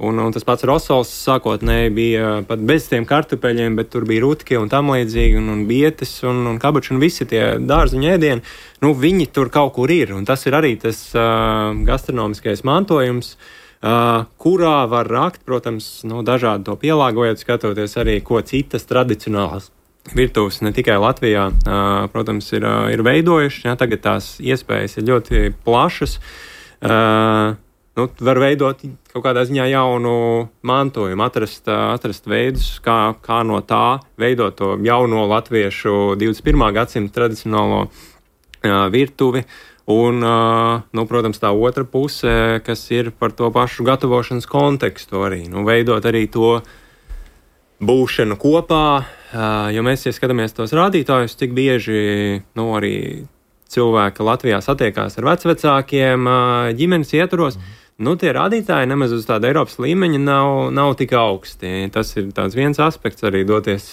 un, un tas pats rosols sākotnēji bija pat bez tiem kartupeļiem, bet tur bija rutki un tam līdzīgi, un, un bietes un, un kabači un visi tie dārziņu ēdieni, nu viņi tur kaut kur ir, un tas ir arī tas uh, gastronomiskais mantojums, uh, kurā var rakt, protams, nu, dažādi to pielāgojot, skatoties arī, ko citas tradicionālas virtuves ne tikai Latvijā, protams, ir, ir veidojuši. Ja, tagad tās iespējas ir ļoti plašas. Nu, var veidot kaut kādā ziņā jaunu mantojumu, atrast, atrast veidus, kā, kā no tā veidot to jauno latviešu divdesmit pirmā gadsimta tradicionālo virtuvi. Un, nu, protams, tā otra puse, kas ir par to pašu gatavošanas kontekstu arī. Nu, veidot arī to būšanu kopā, jo mēs, ja skatāmies tos rādītājus, cik bieži nu, arī cilvēki Latvijā satiekās ar vecvecākiem ģimenes ietvaros, mm. nu, tie rādītāji nemaz uz tāda Eiropas līmeņa nav, nav tik augsti. Tas ir tāds viens aspekts arī doties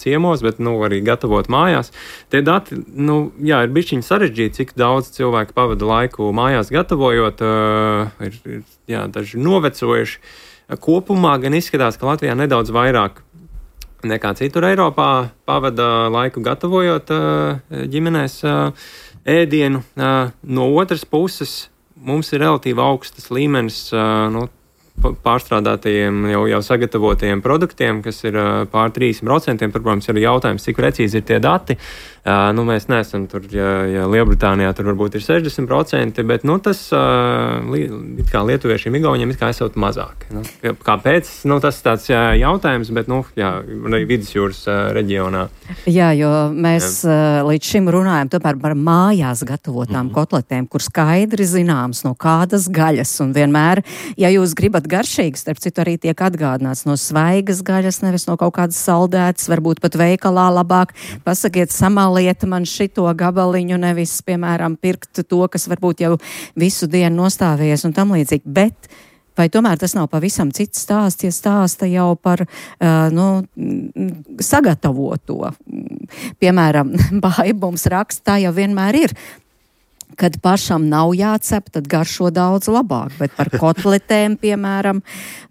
ciemos, bet nu, arī gatavot mājās. Tie dati, nu, jā, ir bišķiņi sarežģīti, cik daudz cilvēku pavada laiku mājās gatavojot, ir, ir jā, daži novecojuši. Kopumā gan izskatās, ka Latvijā nedaudz vairāk nekā citur Eiropā pavada laiku gatavojot ģimenēs ēdienu. No otras puses, mums ir relatīvi augstas līmenis nu, pārstrādātajiem, jau, jau sagatavotajiem produktiem, kas ir pār trīsdesmit procenti. Tur, protams, ir jautājums, cik precīzi ir tie dati. Nu, mēs neesam tur, ja, ja Lielbritānijā tur varbūt ir sešdesmit procenti, bet nu, tas it kā lietuviešiem, igauniem it kā esot mazāk. Nu, kāpēc? Nu, tas ir tāds jautājums, bet nu, jā, arī vidusjūras reģionā. Jā, jo mēs jā. līdz šim runājam tomēr par mājās gatavotām mm-hmm. kotletēm, kur skaidri zināms, no kādas gaļas. Un vienmēr, ja jūs gribat garšīgi, starp citu arī tiek atgādināts no svaigas gaļas, nevis no kaut kādas saldētas, varbūt pat veikalā labāk. Pasakiet, samaliet man šito gabaliņu, nevis, piemēram, pirkt to, kas varbūt jau visu dienu nostāvējies un tam līdzīgi. Bet vai tomēr tas nav pavisam cits stāsts, ja stāsta jau par uh, nu, sagatavoto? Piemēram, Baiba mums raksta, tā jau vienmēr ir. Kad pašam nav jācep, tad garšo daudz labāk, bet par kotletēm, piemēram,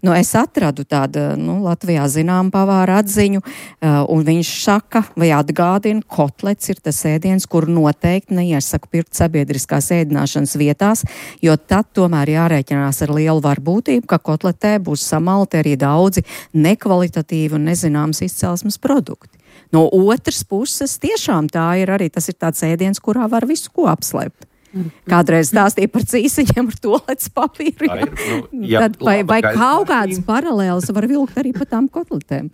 nu, es atradu tādu, nu, Latvijā zinām pavāra atziņu, uh, un viņš saka, vai atgādina, kotlets ir tas ēdiens, kur noteikti neiesaku pirkt sabiedriskās ēdināšanas vietās, jo tad tomēr jārēķinās ar lielu varbūtību, ka kotletē būs samalti arī daudzi nekvalitatīvi un nezināmas izcelsmes produkti. No otras puses, tiešām tā ir arī, tas ir tāds ēdiens, kurā var visu ko apslēpt. Kādreiz stāstīja par cīsiņiem ar toaletes papīru. Jā. Nu, jā, Tad, vai vai kaut kādas paralēlas var vilkt arī pa tām kotletēm?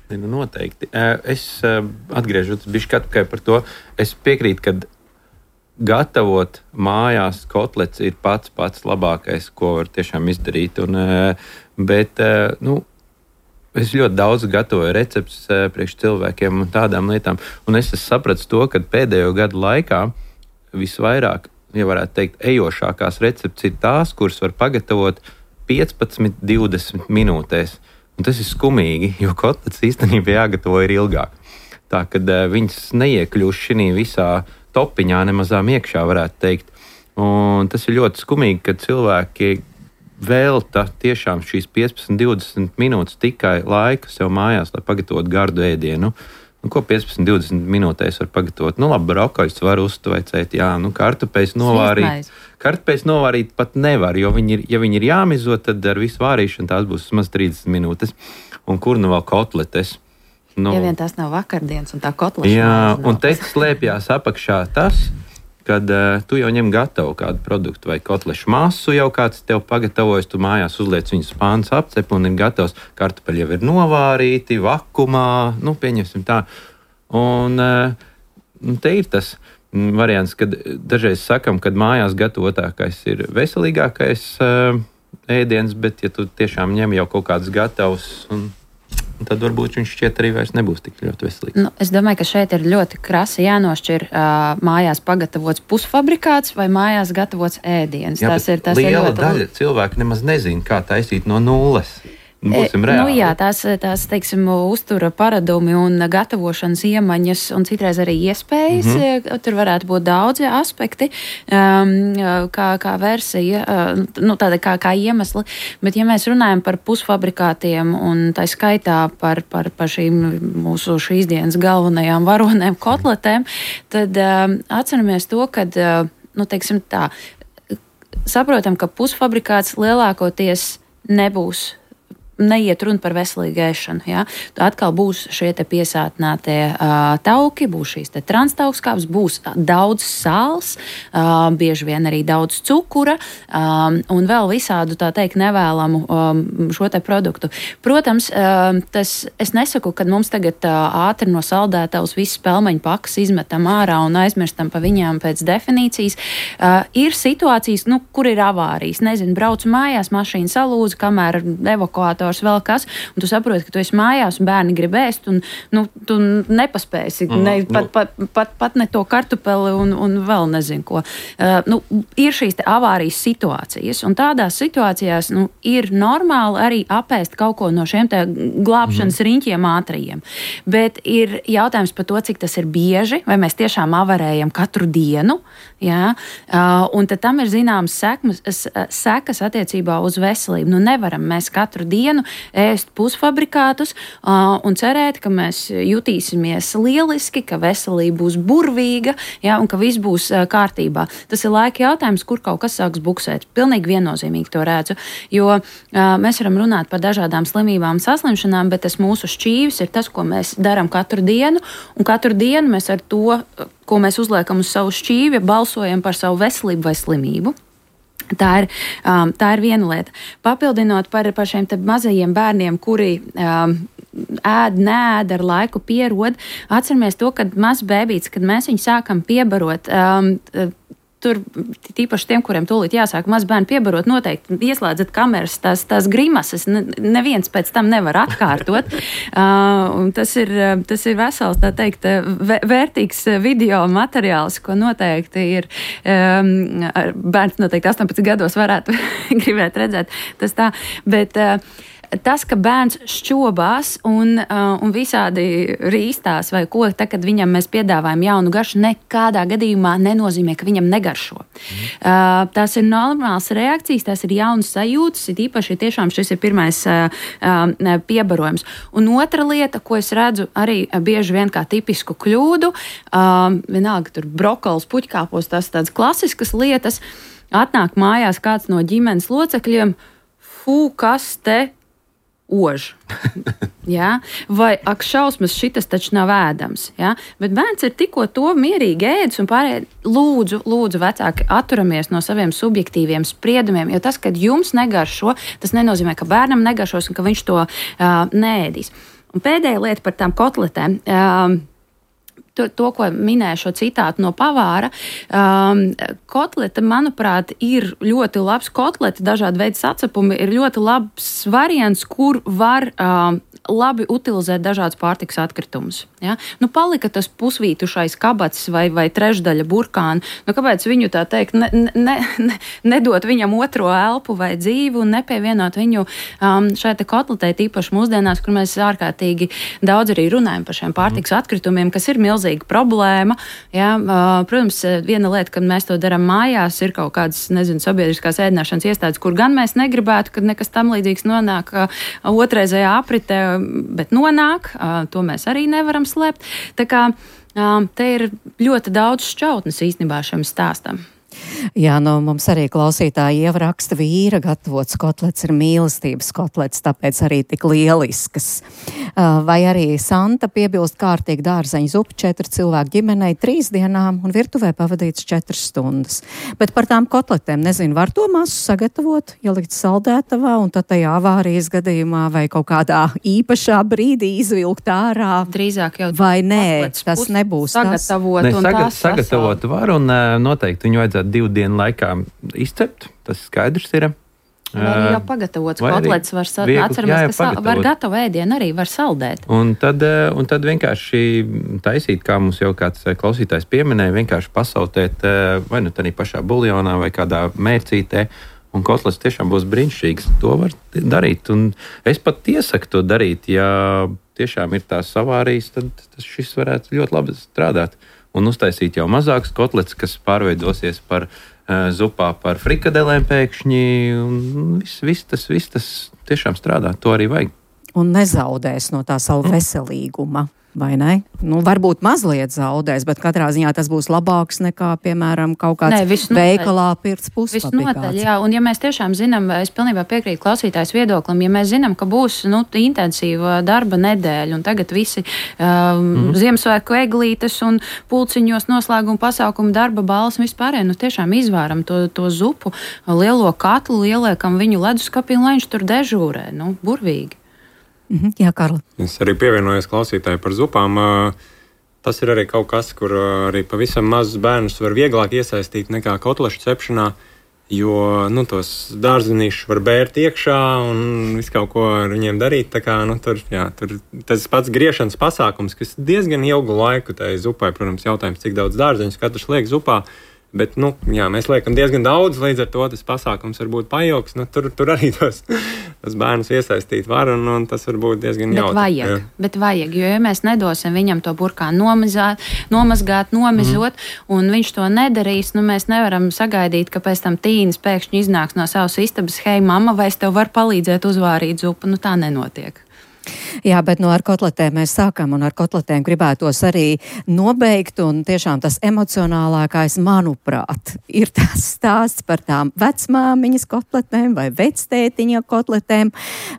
Nu, noteikti. Es atgriežos bišķi atpakaļ par to. Es piekrītu, ka gatavot mājās kotlets ir pats pats labākais, ko var tiešām izdarīt. Un, bet, nu, es ļoti daudz gatavoju receptus priekš cilvēkiem un tādām lietām. Un es sapratu to, ka pēdējo gadu laikā visvairāk, ja varētu teikt, ejošākās recepts ir tās, kuras var pagatavot piecpadsmit līdz divdesmit minūtēs. Un tas ir skumīgi, jo kotlets īstenībā jāgatavo ir ilgāk. Tā, kad uh, viņas neiekļūst šī visā topiņā nemazām iekšā, varētu teikt. Un tas ir ļoti skumīgi, ka cilvēki velta tiešām šīs piecpadsmit līdz divdesmit minūtes tikai laika sev mājās, lai pagatavotu gardu ēdienu. Un ko piecpadsmit līdz divdesmit minūtēs var pagatavot? Nu, labi, brokoļus var uztveicēt, jā, nu, kartupeļus novārīt. Kartupeļus novārīt pat nevar, jo viņi ir, ja viņi ir jāmizo, tad ar visu vārīšanu tās būs maz trīsdesmit minūtes. Un kur nu vēl kotletes? Nu, ja vien tas nav vakardienas un tā kotleša. Jā, un te slēpjās apakšā tas, kad uh, tu jau ņem gatavu kādu produktu vai kotlešu masu, jau kāds tev pagatavojas, tu mājās uzliec viņu spāns apcep un ir gatavs. Kartupeļi jau ir novārīti, vakumā, nu, pieņemsim tā. Un uh, te ir tas variants, kad dažreiz sakam, kad mājās gatavotākais ir veselīgākais uh, ēdiens, bet ja tu tiešām ņem jau kaut kādus gatavus un tad varbūt viņš šķiet arī vairs nebūs tik ļoti veselīgs. Nu, es domāju, ka šeit ir ļoti krasi jānošķir uh, mājās pagatavots pusfabrikāts vai mājās gatavots ēdiens. Jā, tas ir, tas liela ir ļoti... daļa cilvēki nemaz nezina, kā taisīt no nulles. Būsim reāli. Nu, jā, tās, tās, teiksim, uztura paradumi un gatavošanas iemaņas un citreiz arī iespējas. Mm-hmm. Tur varētu būt daudzi aspekti, um, kā, kā versija, uh, nu, tāda kā, kā iemesli. Bet, ja mēs runājam par pusfabrikātiem un tā skaitā par, par, par šīm mūsu šīs dienas galvenajām varonēm kotletēm, tad um, atceramies to, kad, uh, nu, teiksim tā, saprotam, ka pusfabrikāts lielākoties nebūs neiet runa par veselīgu ēšanu. Ja? Tad atkal būs šie te piesātinātie uh, tauki, būs šīs te transtaukskāpes, būs daudz sāls, uh, bieži vien arī daudz cukura um, un vēl visādu, tā teikt, nevēlamu um, šo te produktu. Protams, uh, tas, es nesaku, ka mums tagad uh, ātri no saldētavas visas pelmeņu pakas izmetam ārā un aizmirstam pa viņām pēc definīcijas. Uh, ir situācijas, nu, kur ir avārijas. Nezinu, braucu mājās, mašīna salūza, kamēr evakuātori vēl kas, un tu saproti, ka tu esi mājās un bērni grib ēst, un nu, tu nepaspēsi mm, ne, pat, pat, pat, pat ne to kartupeli un, un vēl nezinu ko. Uh, nu, ir šīs te avārijas situācijas, un tādās situācijās nu, ir normāli arī apēst kaut ko no šiem te glābšanas mm. riņķiem ātrajiem. Bet ir jautājums par to, cik tas ir bieži, vai mēs tiešām avarējam katru dienu, jā? Uh, un tad tam ir zināmas sekmas, sekas attiecībā uz veselību. Nu, nevaram mēs katru dienu ēst pusfabrikātus uh, un cerēt, ka mēs jutīsimies lieliski, ka veselība būs burvīga, ja, un ka viss būs uh, kārtībā. Tas ir laika jautājums, kur kaut kas sāks buksēt. Pilnīgi viennozīmīgi to redzu, jo uh, mēs varam runāt par dažādām slimībām, saslimšanām, bet tas mūsu šķīvis ir tas, ko mēs darām katru dienu, un katru dienu mēs ar to, ko mēs uzliekam uz savu šķīvi, balsojam par savu veselību vai slimību. Tā ir, um, tā ir viena lieta. Papildinot par, par šiem te mazajiem bērniem, kuri um, ēd, neēd, ar laiku pierod, atceramies to, kad mazs bēbīts, kad mēs viņu sākam piebarot, um, tur tīpaši tiem, kuriem tūlīt jāsāk maz bērni piebarot, noteikti ieslēdzat kameras, tās, tās grimases, neviens pēc tam nevar atkārtot. uh, tas, ir, tas ir vesels, tā teikt, vērtīgs video materiāls, ko noteikti ir um, bērns noteikti astoņpadsmit gados varētu gribēt redzēt. Tas tā, bet uh, tas, ka bērns šķobās un, uh, un visādi rīstās vai ko, tā, kad viņam mēs piedāvājam jaunu garšu, nekādā gadījumā nenozīmē, ka viņam negaršo. Mm. Uh, tās ir normālas reakcijas, tās ir jaunas sajūtas, ir īpaši tiešām šis ir pirmais uh, uh, piebarojums. Un otra lieta, ko es redzu arī bieži vien kā tipisku kļūdu, uh, vienalga tur brokolis, puķkāpos, tās tādas klasiskas lietas, atnāk mājās kāds no ģimenes locekļiem, fū, kas te ož. Ja? Vai ak šausmas, šitas taču nav ēdams. Ja? Bet bērns ir tikko to mierīgi ēdis un pārējie lūdzu, lūdzu vecāki atturamies no saviem subjektīviem spriedumiem, jo tas, kad jums negaršo, tas nenozīmē, ka bērnam negaršos un ka viņš to uh, neēdīs. Un pēdējā lieta par tām kotletēm. Uh, To, to, ko minēju šo citātu no pavāra, um, kotleta, manuprāt, ir ļoti labs kotleta, dažādi veidi sacepumi, ir ļoti labs variants, kur var um, labi utilizēt dažādus pārtikas atkritumus. Ja? Nu, palika tas pusvītušais kabats vai, vai trešdaļa burkāna. Nu, kāpēc viņu tā teikt, ne, ne, ne, nedot viņam otro elpu vai dzīvi un nepievienot viņu um, šai te kotletē, tīpaši mūsdienās, kur mēs ārkārtīgi daudz arī runājam par šiem pārtikas atkritumiem, kas ir milzīga problēma. Ja? Uh, protams, viena lieta, kad mēs to darām mājās, ir kaut kādas, nezinu, sabiedriskās ēdināšanas iestādes, kur gan mēs negribētu, kad nekas tam līdzīgs nonāk uh, otrreizējā apritē, bet nonāk, uh, to mēs arī nevaram slēpt. Tā kā uh, te ir ļoti daudz šķautnes īstenībā šim stāstam. Jā, nu mums arī klausītāji ieraksta vīra gatavots kotlets ir mīlestības kotlets, tāpēc arī tik lieliskas. Vai arī Santa piebilst kārtīgi dārzeņu zupu četru cilvēku ģimenei trīs dienām un virtuvē pavadīts četras stundas. Bet par tām kotletēm, nezinu, var to masu sagatavot, ielikt saldētavā un tad tajā avārijas gadījumā vai kaut kādā īpašā brīdī izvilkt ārā. Drīzāk jau vai nē, tas nebūs sagatavot tas. Un saga, tās sagatavot var un noteikti viņu vajadzētu divu dienu laikā izcept, tas skaidrs ir. Vai arī jau pagatavots kotlets var saldēt, atceramies, ka sal, var gatavu ēdienu arī var saldēt. Un tad, un tad vienkārši taisīt, kā mums jau kāds klausītājs pieminēja, vienkārši pasautēt vai nu tādā pašā buljonā vai kādā mērcītē, un kotlets tiešām būs brīnišķīgs. To var darīt, un es pat iesaku to darīt, ja tiešām ir tās avārijas, tad šis varētu ļoti labi strādāt. Un uztaisīt jau mazākus kotlets, kas pārveidosies par uh, zupā, par frikadelēm pēkšņi, un viss, viss, tas, viss tas tiešām strādā, to arī vajag. Un nezaudēs no tā savu veselīguma, vai ne? Nu, varbūt mazliet zaudēs, bet katrā ziņā tas būs labāks nekā, piemēram, kaut kāds Nē, veikalā pirts puspapikāts. Visnotaļ, jā, un ja mēs tiešām zinām, es pilnībā piekrītu klausītājs viedoklim, ja mēs zinām, ka būs, nu, intensīva darba nedēļa, un tagad visi um, mm. Ziemassvētku eglītes un pulciņos noslēguma pasākumu darba balvas un vispārēj, nu, tiešām izvāram to, to zupu, lielo katlu, ieliekam viņu leduskapī, un lai viņš tur dežūrē, nu, burvīgi. Mhm, jā, Karla. Es arī pievienojos klausītāji par zupām. Tas ir arī kaut kas, kur arī pavisam mazus bērnus var vieglāk iesaistīt nekā kotlešu cepšanā, jo nu, tos dārzenīšus var bērt iekšā un visu kaut ko ar viņiem darīt. Tā kā, nu, tur, jā, tur tas pats griešanas pasākums, kas diezgan ilgu laiku tai zupai, protams, jautājums, cik daudz dārzeņus katrs liek zupā. Bet, nu, jā, mēs liekam diezgan daudz, līdz ar to tas pasākums var būt pailgs. Nu, tur, tur arī tos, tos bērnus iesaistīt var, un, un tas var būt diezgan bet jautri. Vajag, jā. bet vajag, jo ja mēs nedosim viņam to burkānu nomazāt, nomazgāt, nomizot, mm. un viņš to nedarīs, nu mēs nevaram sagaidīt, ka pēc tam tīnis pēkšņi iznāks no savas istabas, hei, mamma, vai es tev varu palīdzēt uzvārīt zupu? Nu tā nenotiek. Jā, bet no ar kotletēm mēs sākam, un ar kotletēm gribētos arī nobeigt, un tiešām tas emocionālākais, manuprāt, ir tas stāsts par tām vecmāmiņas kotletēm vai vectētiņa kotletēm,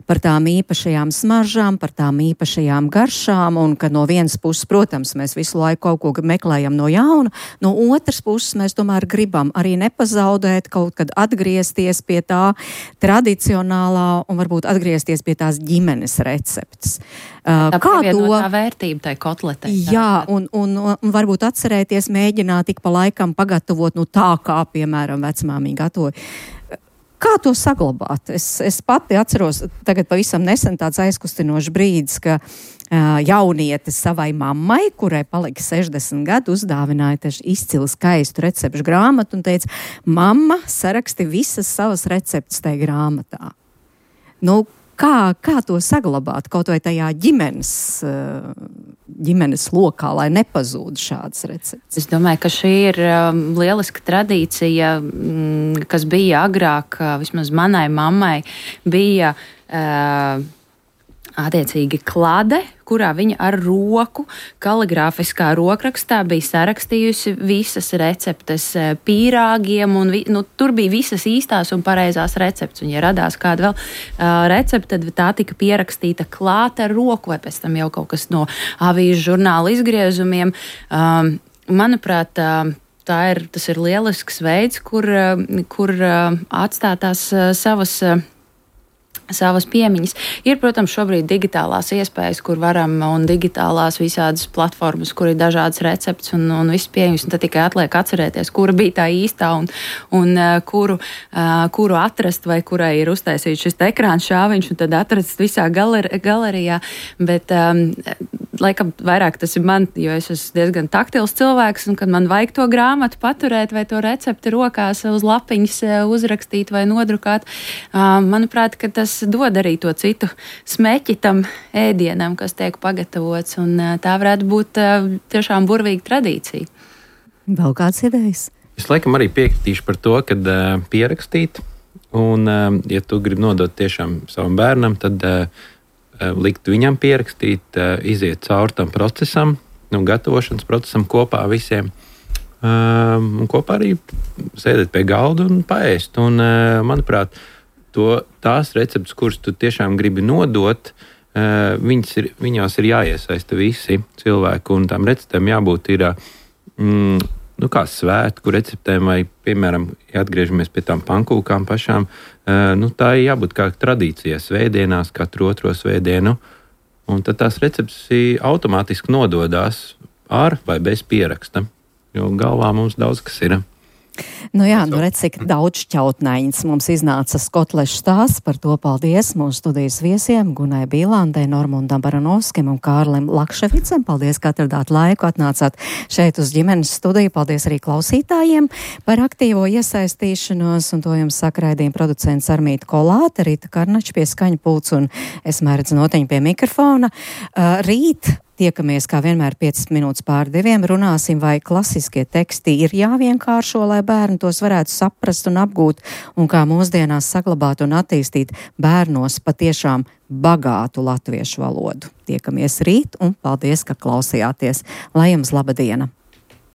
par tām īpašajām smaržām, par tām īpašajām garšām, un ka no vienas puses, protams, mēs visu laiku kaut ko meklējam no jauna, no otras puses mēs tomēr gribam arī nepazaudēt, kaut kad atgriezties pie tā tradicionālā un varbūt atgriezties pie tās ģimenes receptes. Uh, tā kā to tā vērtība tai kotletei. Jā, un, un, un varbūt atcerēties, mēģināt ik pa laikam pagatavot, nu tā kā, piemēram, vecmāmiņa gatavoja. Kā to saglabāt? Es, es pati atceros, tagad pavisam nesen tāds aizkustinošs brīdis, ka uh, jauniete savai mammai, kurai palika sešdesmit gadu, uzdāvināja taču izcili skaistu recepšu grāmatu un teica, mamma, saraksti visas savas receptes tai grāmatā. Nu, Kā, kā to saglabāt kaut vai tajā ģimenes, ģimenes lokā, lai nepazūd šādas receptes? Es domāju, ka šī ir um, lieliska tradīcija, mm, kas bija agrāk, vismaz manai mammai, bija uh, attiecīgi klade, kurā viņa ar roku, kaligrāfiskā rokrakstā bija sarakstījusi visas receptes pīrāgiem, un vi, nu, tur bija visas īstās un pareizās receptes. Un, ja radās kāda vēl uh, recepte, tad tā tika pierakstīta klāt ar roku, vai pēc tam jau kaut kas no avīžu žurnāla izgriezumiem. Um, manuprāt, uh, tā ir, tas ir lielisks veids, kur, uh, kur uh, atstāt tās uh, savas uh, savas piemiņas. Ir, protams, šobrīd digitālās iespējas, kur varam, un digitālās visādas platformas, kur ir dažādas recepts un, un viss pieejams, un tad tikai atliek atcerēties, kura bija tā īstā un, un uh, kuru, uh, kuru atrast, vai kurai ir uztaisīts šis ekrāns šāviņš, un tad atrast visā galer, galerijā. Bet, um, laikam, vairāk tas ir man, jo es esmu diezgan taktils cilvēks, un kad man vajag to grāmatu paturēt vai to recepti rokās uz lapiņas uzrakstīt vai nodrukāt, uh, manuprāt, ka tas dod arī to citu smeķi tam ēdienam, kas tiek pagatavots, un tā varētu būt tiešām burvīga tradīcija. Vēl kāds idejas? Es laikam arī piekritīšu par to, kad uh, pierakstīt, un uh, ja tu gribi nodot tiešām savam bērnam, tad uh, likt viņam pierakstīt, uh, iziet cauri tam procesam, nu, gatavošanas procesam kopā visiem, uh, un kopā arī sēdēt pie galda un paēst, un uh, manuprāt, To, tās receptes, kuras tu tiešām gribi nodot, uh, ir, viņās ir jāiesaista visi cilvēki, un tām receptēm jābūt ir, mm, nu kā svētku receptēm, vai, piemēram, ja atgriežamies pie tām pankūkām pašām, uh, nu tā ir jābūt kā tradīcijai svētdienās, katru otro svētdienu, un tad tās receptes automātiski nododās ar vai bez pieraksta, jo galvā mums daudz kas ir. Nu jā, nu redz, cik daudz šķautnaiņas mums iznāca kotlešu stāsts, par to paldies mūsu studijas viesiem Gunai Bīlandai, Normundam Baranovskim un Kārlim Lakševicam. Paldies, ka atradāt laiku, atnācāt šeit uz ģimenes studiju. Paldies arī klausītājiem par aktīvo iesaistīšanos, un to jums saka raidījuma producents Armīta Kolāte, Rīta Karnača pie skaņu pults un es Mairedz Noteņa pie mikrofona. Uh, rīt tiekamies, kā vienmēr, piecas minūtes pār diviem, runāsim, vai klasiskie teksti ir jāvienkāršo, lai bērni tos varētu saprast un apgūt, un kā mūsdienās saglabāt un attīstīt bērnos patiešām bagātu latviešu valodu. Tiekamies rīt, un paldies, ka klausījāties. Lai jums laba diena!